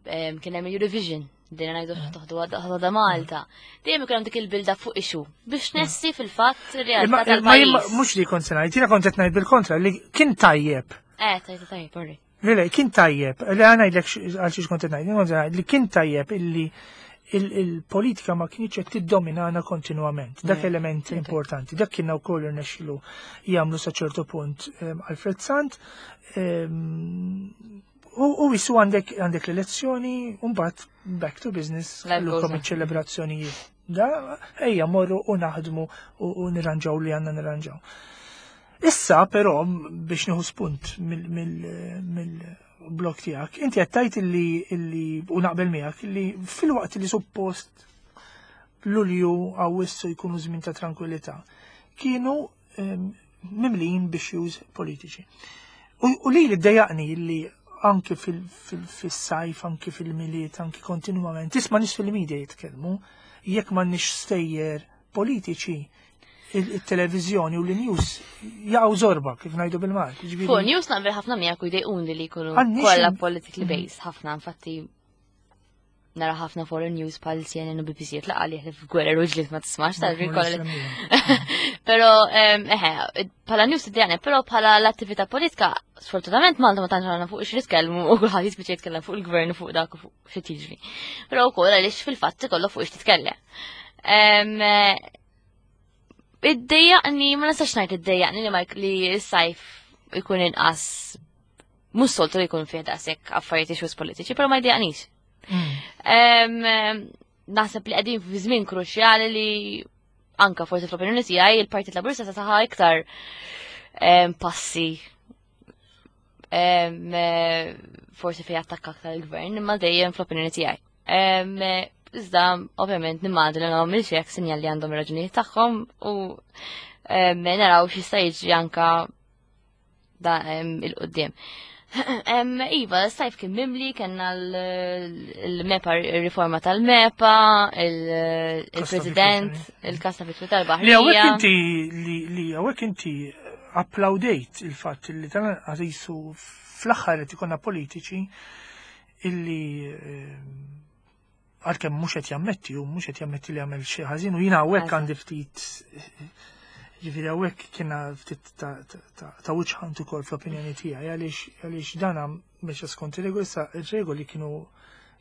S2: Em, Kien hemm Eurovision, dejjem ngħidu toħdu ħadha Malta. Dejjem ikun hemm dik il-build fuq issue biex nessi fil-fatt ir-realtà
S1: Imma imma jien
S2: tal-pajjiż.
S1: mhux li kont se ngħid, jiena kont qed ngħid bil-kontra li kien tajjeb.
S2: Eh, tajjeb, tajjeb, sorry.
S1: Le, le, kien tajjeb, li għana ngħidlek għal xiex kont qed ngħid, jien kont qed ngħid li kien tajjeb illi il- il-politika ma kienx qed tiddominana kontinwament. Dak
S2: Mm.
S1: element importanti. Dak kien wkoll irnexxilu jagħmlu sa ċertu punt em, Alfred Sant. em, U u jisu għandek għandek l-elezzjoni, u mbagħad back to business,
S2: Life goes
S1: kellukom
S2: on.
S1: iċ-ċelebrazzjonijiet. Da, ejja morru u naħdmu u u nirranġaw li għandna nirranġaw. Issa però biex nieħu spunt mill-blog tiegħek, inti qed tgħid illi illi u naqbel miegħek illi fil-waqt li suppost Lulju, Awwissu jkunu żmien ta' tranquillità, kienu em, mimlijin b'issues politiċi. U, u li li ddejjaqni li anki fil-sajf, anki fil-Milied, anki kontinuament, tisma' nies fil-media jitkellmu, jekk m'għandniex stejjer politiċi, il-televizjoni u l-news jaqgħu zorba, kif ngħidu bil-Malti. Ġifieri-
S2: Fuq news naqbel ħafna miegħek u jdejquni li jkunu
S1: Għandniex
S2: kollha
S1: il-
S2: politically based ħafna, infatti Nara ħafna foreign news bħal C N N u B B C tlaqa li f'gwerra u ġlied ma tismax tal kollha. Però eħe, bħala news tiddejjaqni, però bħala l-attività politika, sfortunatament Malta ma tantx għandna fuq xi nitkellmu u kulħadd jispiċċa jitkellem fuq il-gvern u fuq dak u fuq xi tiġri. Però wkoll għaliex fil-fatt ikollok fuq xi titkellem. Iddejjaqni, ma nistax ngħid iddejjaqni li ma li s-sajf ikun inqas, mhux soltu li jkun fih daqshekk affarijiet, issues politiċi, però ma jdejjaqnix. Naħseb li qegħdin fi żmien kruċjali li anka forsi fl-opinjoni tiegħi il-Partit Laburista se saħa iktar passi forsi fej attakka aktar il-gvern, imma dejjem fl-opinjoni tiegħi. Iżda, ovvjament, nimmaġina li għamil xek sinjal li għandhom raġunijiet tagħhom u naraw x'jista' jiġri anka da il-qoddim. Iva, s-sajf kien mimli, kena l-MEPA, il-riforma tal-MEPA, il-president, il-kas ta' vittmi tal-Baħrija.
S1: Li hawnhekk inti, li hawnhekk inti applaudejt il-fatt li tal-għazisu fl-aħħar qed ikollna politiċi illi, għalkemm mhux qed jammetti u mhux qed jammetti li għamel xi ħażin, u jiena hawnhekk għandi ftit, ġifieri hawnhekk kiena ftit ta' wiċċ ukoll fl-opinjoni tiegħi, għaliex għaliex dana mexa skont ir-regoli. Issa ir-regoli kienu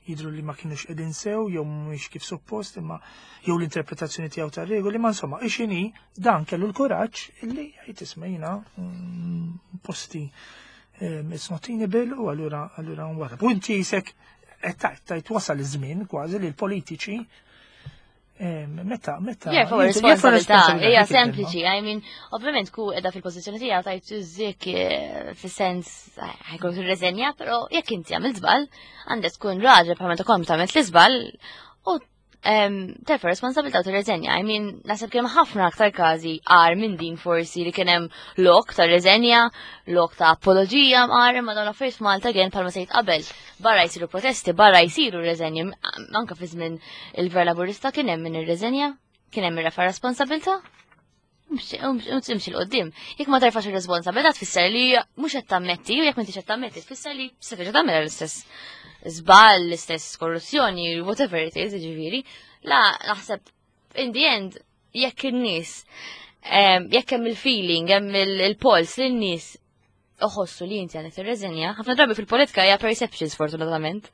S1: jidru li ma kienux qegħdin sew jew mhumiex kif suppost, imma jew l-interpretazzjoni tiegħu tar-regoli, ma insomma ixini dan kellu l-kuraġġ illi jgħid, "Isma', jiena mm, posti it's not tenable," u allura allura nwara. U inti jisek qed tajt wasal iż-żmien kważi li l-politiċi meta meta
S2: Jerfgħu responsabilità, hija sempliċi, I mean, ovvjament ku edha fil-pożizzjoni tiegħu tajt iżik eh, fis-sens ħa jkun tirreżenja, però jekk inti għamilt żball, għandek tkun raġel bħal meta kont għamilt l-iżball u terfa' responsabilità u tirreżenja. I mean, naħseb kien ħafna aktar każi għar minn din forsi li kien hemm lok ta' reżenja, lok ta' apologija għar, ma dawn affarijiet f'Malta gen bħalma sejt qabel. Barra jsiru protesti, barra jsiru reżenji, anka fi żmien il-Gvern Laburista kien hemm min irreżenja, kien hemm irrefa' responsabilità. Imxi 'l quddiem. Jekk ma terfax ir-responsabilità tfisser li mhux qed tammetti, u jekk m'intix qed tammetti tfisser li se terġa' tagħmel l-istess żball, l-istess korruzzjoni, whatever it is, ġifieri. La, naħseb in the end jekk in-nies jekk hemm il-feeling, hemm il-pols li n-nies uħossu li inti għandek tirreżenja, ħafna drabi fil-politika hija perception, sfortunatament.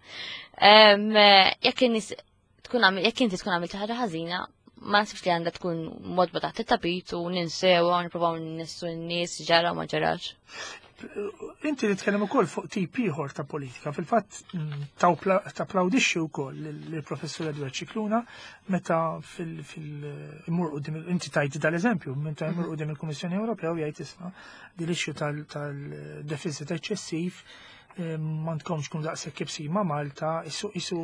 S2: Jekk in-nies tkun jekk inti tkun għamilt ħaġa ħażina, ma nasibx li għandha tkun modba taħt it-tapit u ninsew u nippruvaw nissu n-nies ġara u ma ġarax.
S1: Inti li tkellem ukoll fuq tip ieħor ta' politika, fil-fatt mm, tapplawdixxi wkoll lill-Professur Edward Scicluna meta fil-imur quddiem, inti tajt dal-eżempju, meta jmur quddiem il-Kummissjoni Ewropea u jgħid, "Isma', din l-issue tal-deficit eċċessiv eh, m'għandkomx tkun daqshekk ibsin ma' Malta," isu isu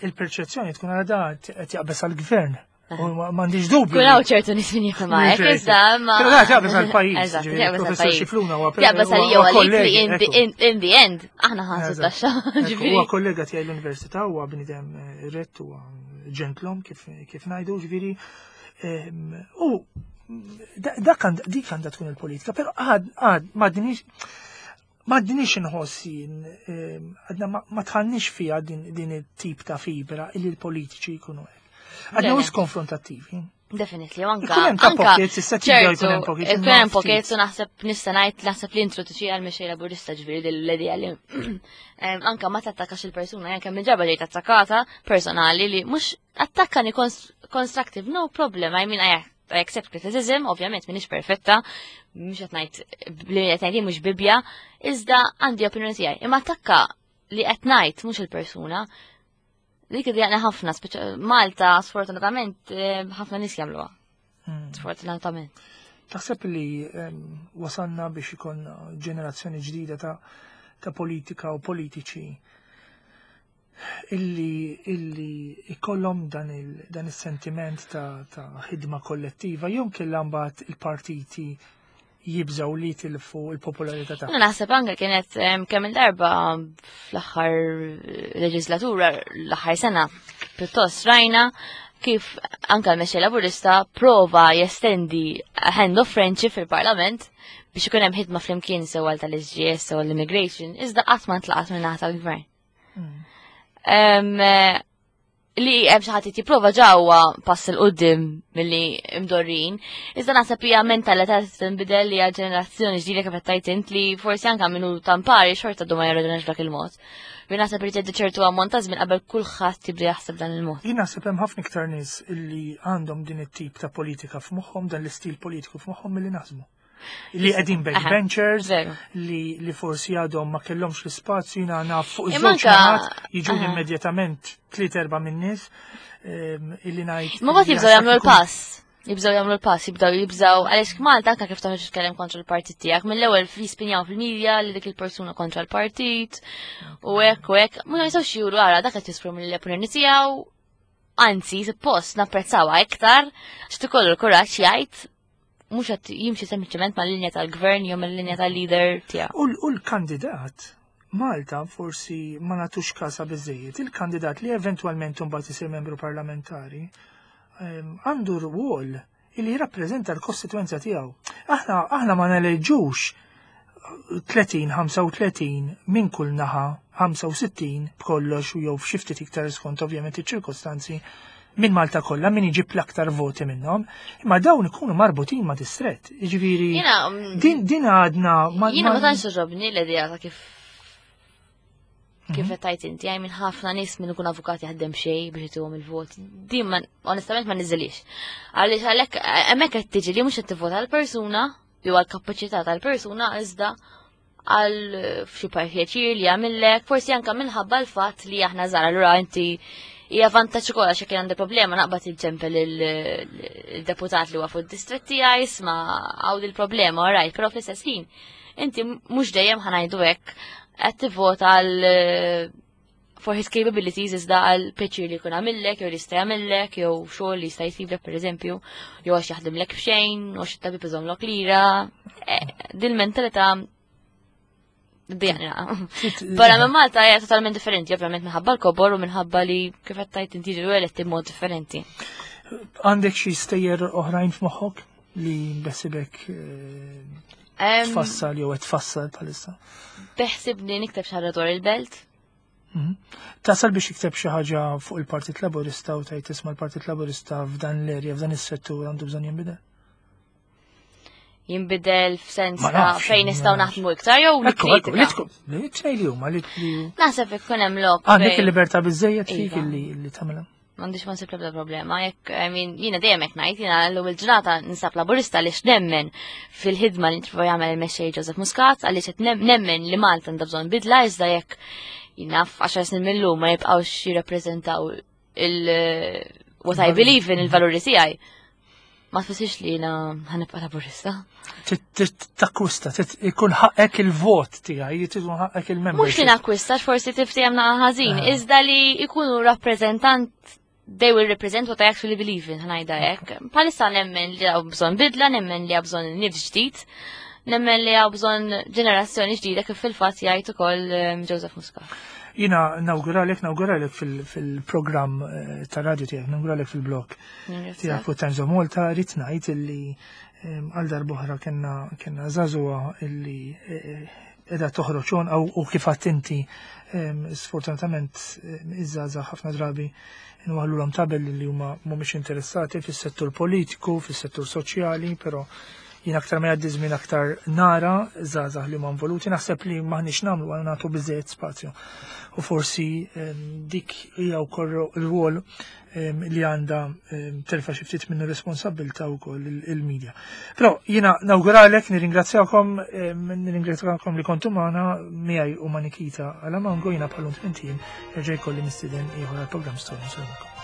S1: il-perċezzjoni tkun għala da qed jaqbeż għall-gvern. U m'għandix dubju.
S2: Kun hawn ċertu nies min jifhem hekk, iżda ma.
S1: Però da jaqbeż għall-pajjiż.
S2: Eżatt,
S1: ġifieri,
S2: jaqbeż
S1: Professor
S2: għall-pajjiż.
S1: Scicluna huwa
S2: Jaqbeż għalija
S1: huwa
S2: u għalik li
S1: kollegi,
S2: in the-
S1: ekku.
S2: in in the end aħna ħansu
S1: Eżatt.
S2: taxxa.
S1: Ekku,
S2: Ġifieri.
S1: huwa kollega tiegħi l-università, huwa bniedem eh, rett, huwa ġentlom kif kif ngħidu, ġifieri. ehm, U da- dak għand- dik għandha tkun il-politika, però għad għad m'għadniex m'għadniex inħoss jien, ehm, għadna ma- ma tħannix fiha din din it-tip ta' fibra illi l-politiċi jkunu hekk. Għadna
S2: Le, le.
S1: wis konfrontattivi.
S2: Definitely, u anka.
S1: Ikun hemm ta'
S2: anka
S1: pockets, issa tibdew jkun hemm
S2: ċertu,
S1: pockets,
S2: ikun
S1: imma
S2: hemm
S1: ftit.
S2: pockets u naħseb nista' ngħid naħseb li introduċi għal mexxej Laburista, ġifieri din l-idea li em, anka ma tattakax il-persuna, anke minn ġarba ġejt attakata personali li mhux attakkani constructive, no problem, I mean, I, I accept criticism, ovvjament m'iniex perfetta, mhux qed ngħid li qed ngħid mhux bibja, iżda għandi opinjoni tiegħi. Imma attakka li qed ngħid mhux il-persuna, dik id ħafna, speċa Malta sfortunatament eh, ħafna nies jagħmluha.
S1: Mm.
S2: Sfortunatament.
S1: Taħseb li em, wasalna biex ikun ġenerazzjoni ġdida ta', ta' politika u politiċi illi illi ikollhom dan il dan is-sentiment ta', ta' ħidma kollettiva jew kellha mbagħad il-partiti jibżaw li tilfu il-popolarità
S2: Jena
S1: tagħhom?
S2: Naħseb anke kienet em, kemm il-darba fl-aħħar leġislatura, l-aħħar sena, pjuttost rajna kif anka l-mexxej Laburista prova jestendi a hand of friendship fil-Parlament biex ikun hemm ħidma flimkien sew tal-S G S sew l-immigration, iżda qatt ma ntlaqat minn naħa tal-gvern.
S1: Mm.
S2: Em, eh, Li hemm xi ħadd jipprova ġewwa pass 'il quddiem milli imdorrin. Iżda naħseb hija mentalità tinbidel li hija ġenerazzjoni ġdida, kif qed tgħid int, li forsi anke minnu tampari xorta du ma jarraġunax dak il-mod. Bi naħseb li tgħaddi ċertu ammont ta' żmien qabel kulħadd jibda jaħseb dan il-mod.
S1: Jien naħseb hemm ħafna iktar nies illi għandhom din it-tip ta' politika f'moħħhom, dan l-istil politiku f'moħħhom milli naħsbu. Li qegħdin backbenchers, li, li forsi għadhom ma kellhomx l-ispazju. Jiena naf fuq iż-żewġ naħat jiġu immedjatament tliet erba' min-nies ehm, illi ngħid.
S2: Ma mbagħad jibżgħu jagħmlu l-pass. Jibżgħu jagħmlu l-pass, jibdew jibżgħu għaliex Malta anke kif toħroġ titkellem kontra l-partit tiegħek, mill-ewwel jispinjaw fil-medja li dik il-persuna kontra l-partit u hekk u hekk. Ma jistgħux juru ara dak qed jesprimi l-opinjoni tiegħu. Anzi, suppost napprezzawha iktar għax ikollu l-kuraġġ jgħid, mhux qed jimxi sempliċement mal-linja tal-gvern jew mal-linja tal-leader tiegħu.
S1: U l-kandidat, Malta forsi ma nagħtux kasa biżejjed, il-kandidat li eventwalment mbagħad isir membru parlamentari ehm, għandu rwol li jirrappreżenta l-kostituenza tiegħu. Aħna aħna ma neleġġux tletin, ħamsa u tletin minn kull naħa, ħamsa u sittin b'kollox u jew f'xi ftit iktar skont ovvjament iċ-ċirkostanzi minn Malta kollha, min iġib l-aktar voti minnhom, imma dawn ikunu marbutin ma' distret. Jiġifieri
S2: mm,
S1: din din għadna
S2: ma Jiena ma tantx togħġobni l-idea ta' kif kif mhm. qed tgħid inti għaj minn ħafna nies minn ikun avukat jaħdem xejn biex ituhom il-vot. Din ma onestament ma niżilix. Għaliex għalhekk hemmhekk qed tiġi li mhux qed tivvota għall-persuna jew għall-kapaċità tal-persuna, iżda għal xi pjaċir li jagħmillek, forsi anke minħabba l-fatt li aħna żgħar, allura inti hija vantaġġ ukoll għax jekk għandi problema naqbad inċempel il-deputat li huwa fuq id-distrett tiegħi, isma' hawn il-problema, alright, però fl-istess ħin inti mhux dejjem, ħa ngħidu hekk, qed tivvota għal for his capabilities, iżda għal pjaċir li jkun għamillek, jew li jista' jagħmillek, jew xogħol li jista' jsiblek pereżempju, jew għax jaħdimlek b'xejn, u għax it-tabib iżommlok lira. Eh, Din mentalità Dejjaqni. Barra minn Malta hija totalment differenti, ovvjament minħabba l-kobor u minħabba li kif qed tgħid inti ġew eletti b'mod differenti.
S1: Għandek xi stejjer oħrajn f'moħħok li beħsiebek eh, tfassal jew qed tfassal bħalissa?
S2: Beħsibni nikteb xi ħaġa dwar il-belt.
S1: Mhm. Tasal biex ikteb xi ħaġa fuq il-Partit Laburista u tgħid, isma', l-Partit Laburista f'dan l-erja, f'dan is-settur għandu bżonn jinbidel?
S2: Jinbidel f'sens
S1: Ma
S2: ta'
S1: nafx,
S2: fejn
S1: ma
S2: nistgħu
S1: nafx.
S2: naħdmu iktar jew
S1: Ekku, ekku, li
S2: nikkritika.
S1: tkun, li tnejn li huma li li
S2: Naħseb ikun hemm lok.
S1: Għandek
S2: fejn-
S1: il-libertà biżejjed fik
S2: Iva.
S1: illi li tagħmilha.
S2: M'għandix, ma nsib l-ebda problema, jekk, I mean, jiena dejjem hekk ngħid, jiena llum il-ġurnata ninsab Laburista għaliex nemmen fil-ħidma li trova jagħmel il-mexxej Joseph Muscat, għaliex qed nem- nemmen li Malta għandha bżonn bidla, iżda jekk jiena f'għaxar snin mill-lum ma jibqgħux jirrappreżentaw il what I believe in, il-valuri tiegħi. Ma tfissirx li jiena ħa nibqa' Laburista.
S1: Takkwista, ikun ħaqek il-vot tiegħi, ikun ħaqek
S2: Mhux li
S1: il-membership.
S2: nakkwista, forsi tiftiehemna naqra ħażin,
S1: Ah.
S2: iżda li ikunu rappreżentant, they will represent what I actually believe in, ħa ngħidha hekk. Bħalissa nemmen li hawn bżonn bidla, nemmen li hawn bżonn nifs ġdid, nemmen li hawn bżonn ġenerazzjoni ġdida, kif fil-fatt jgħid ukoll um, Joseph Muscat.
S1: Jiena nawguralek, nawguralek fil-programm eh, ta' radio tiegħek, nawguralek fil-blog tiegħek fuq Times of Malta. Rrid ngħid illi em, għal darb'oħra kellna kellna żagħżugħa illi eh, qiegħda toħroġ għonqha u kif għedt inti, em, sfortunatament em, iż-żgħażagħ ħafna drabi nwaħħlulhom tabelli li huma mhumiex interessati fis-settur politiku, fis-settur soċjali, però jien aktar ma jgħaddi żmien aktar nara żgħażagħ li huma involuti, naħseb li m'aħniex nagħmlu għal nagħtu biżejjed spazju. U forsi em, dik hija wkoll ir-rwol em, li għandha em, terfa' xi ftit minnu responsabbiltà wkoll il- il-medja. Però jiena nawguralek, nirringrazzjakom, em, nirringrazzjakom li kontu magħna miegħi u ma' Nikita Alamango. Jiena bħal tmint ijiem nerġa' jkolli mistieden ieħor għall-programm Storja. Nsellmilkom.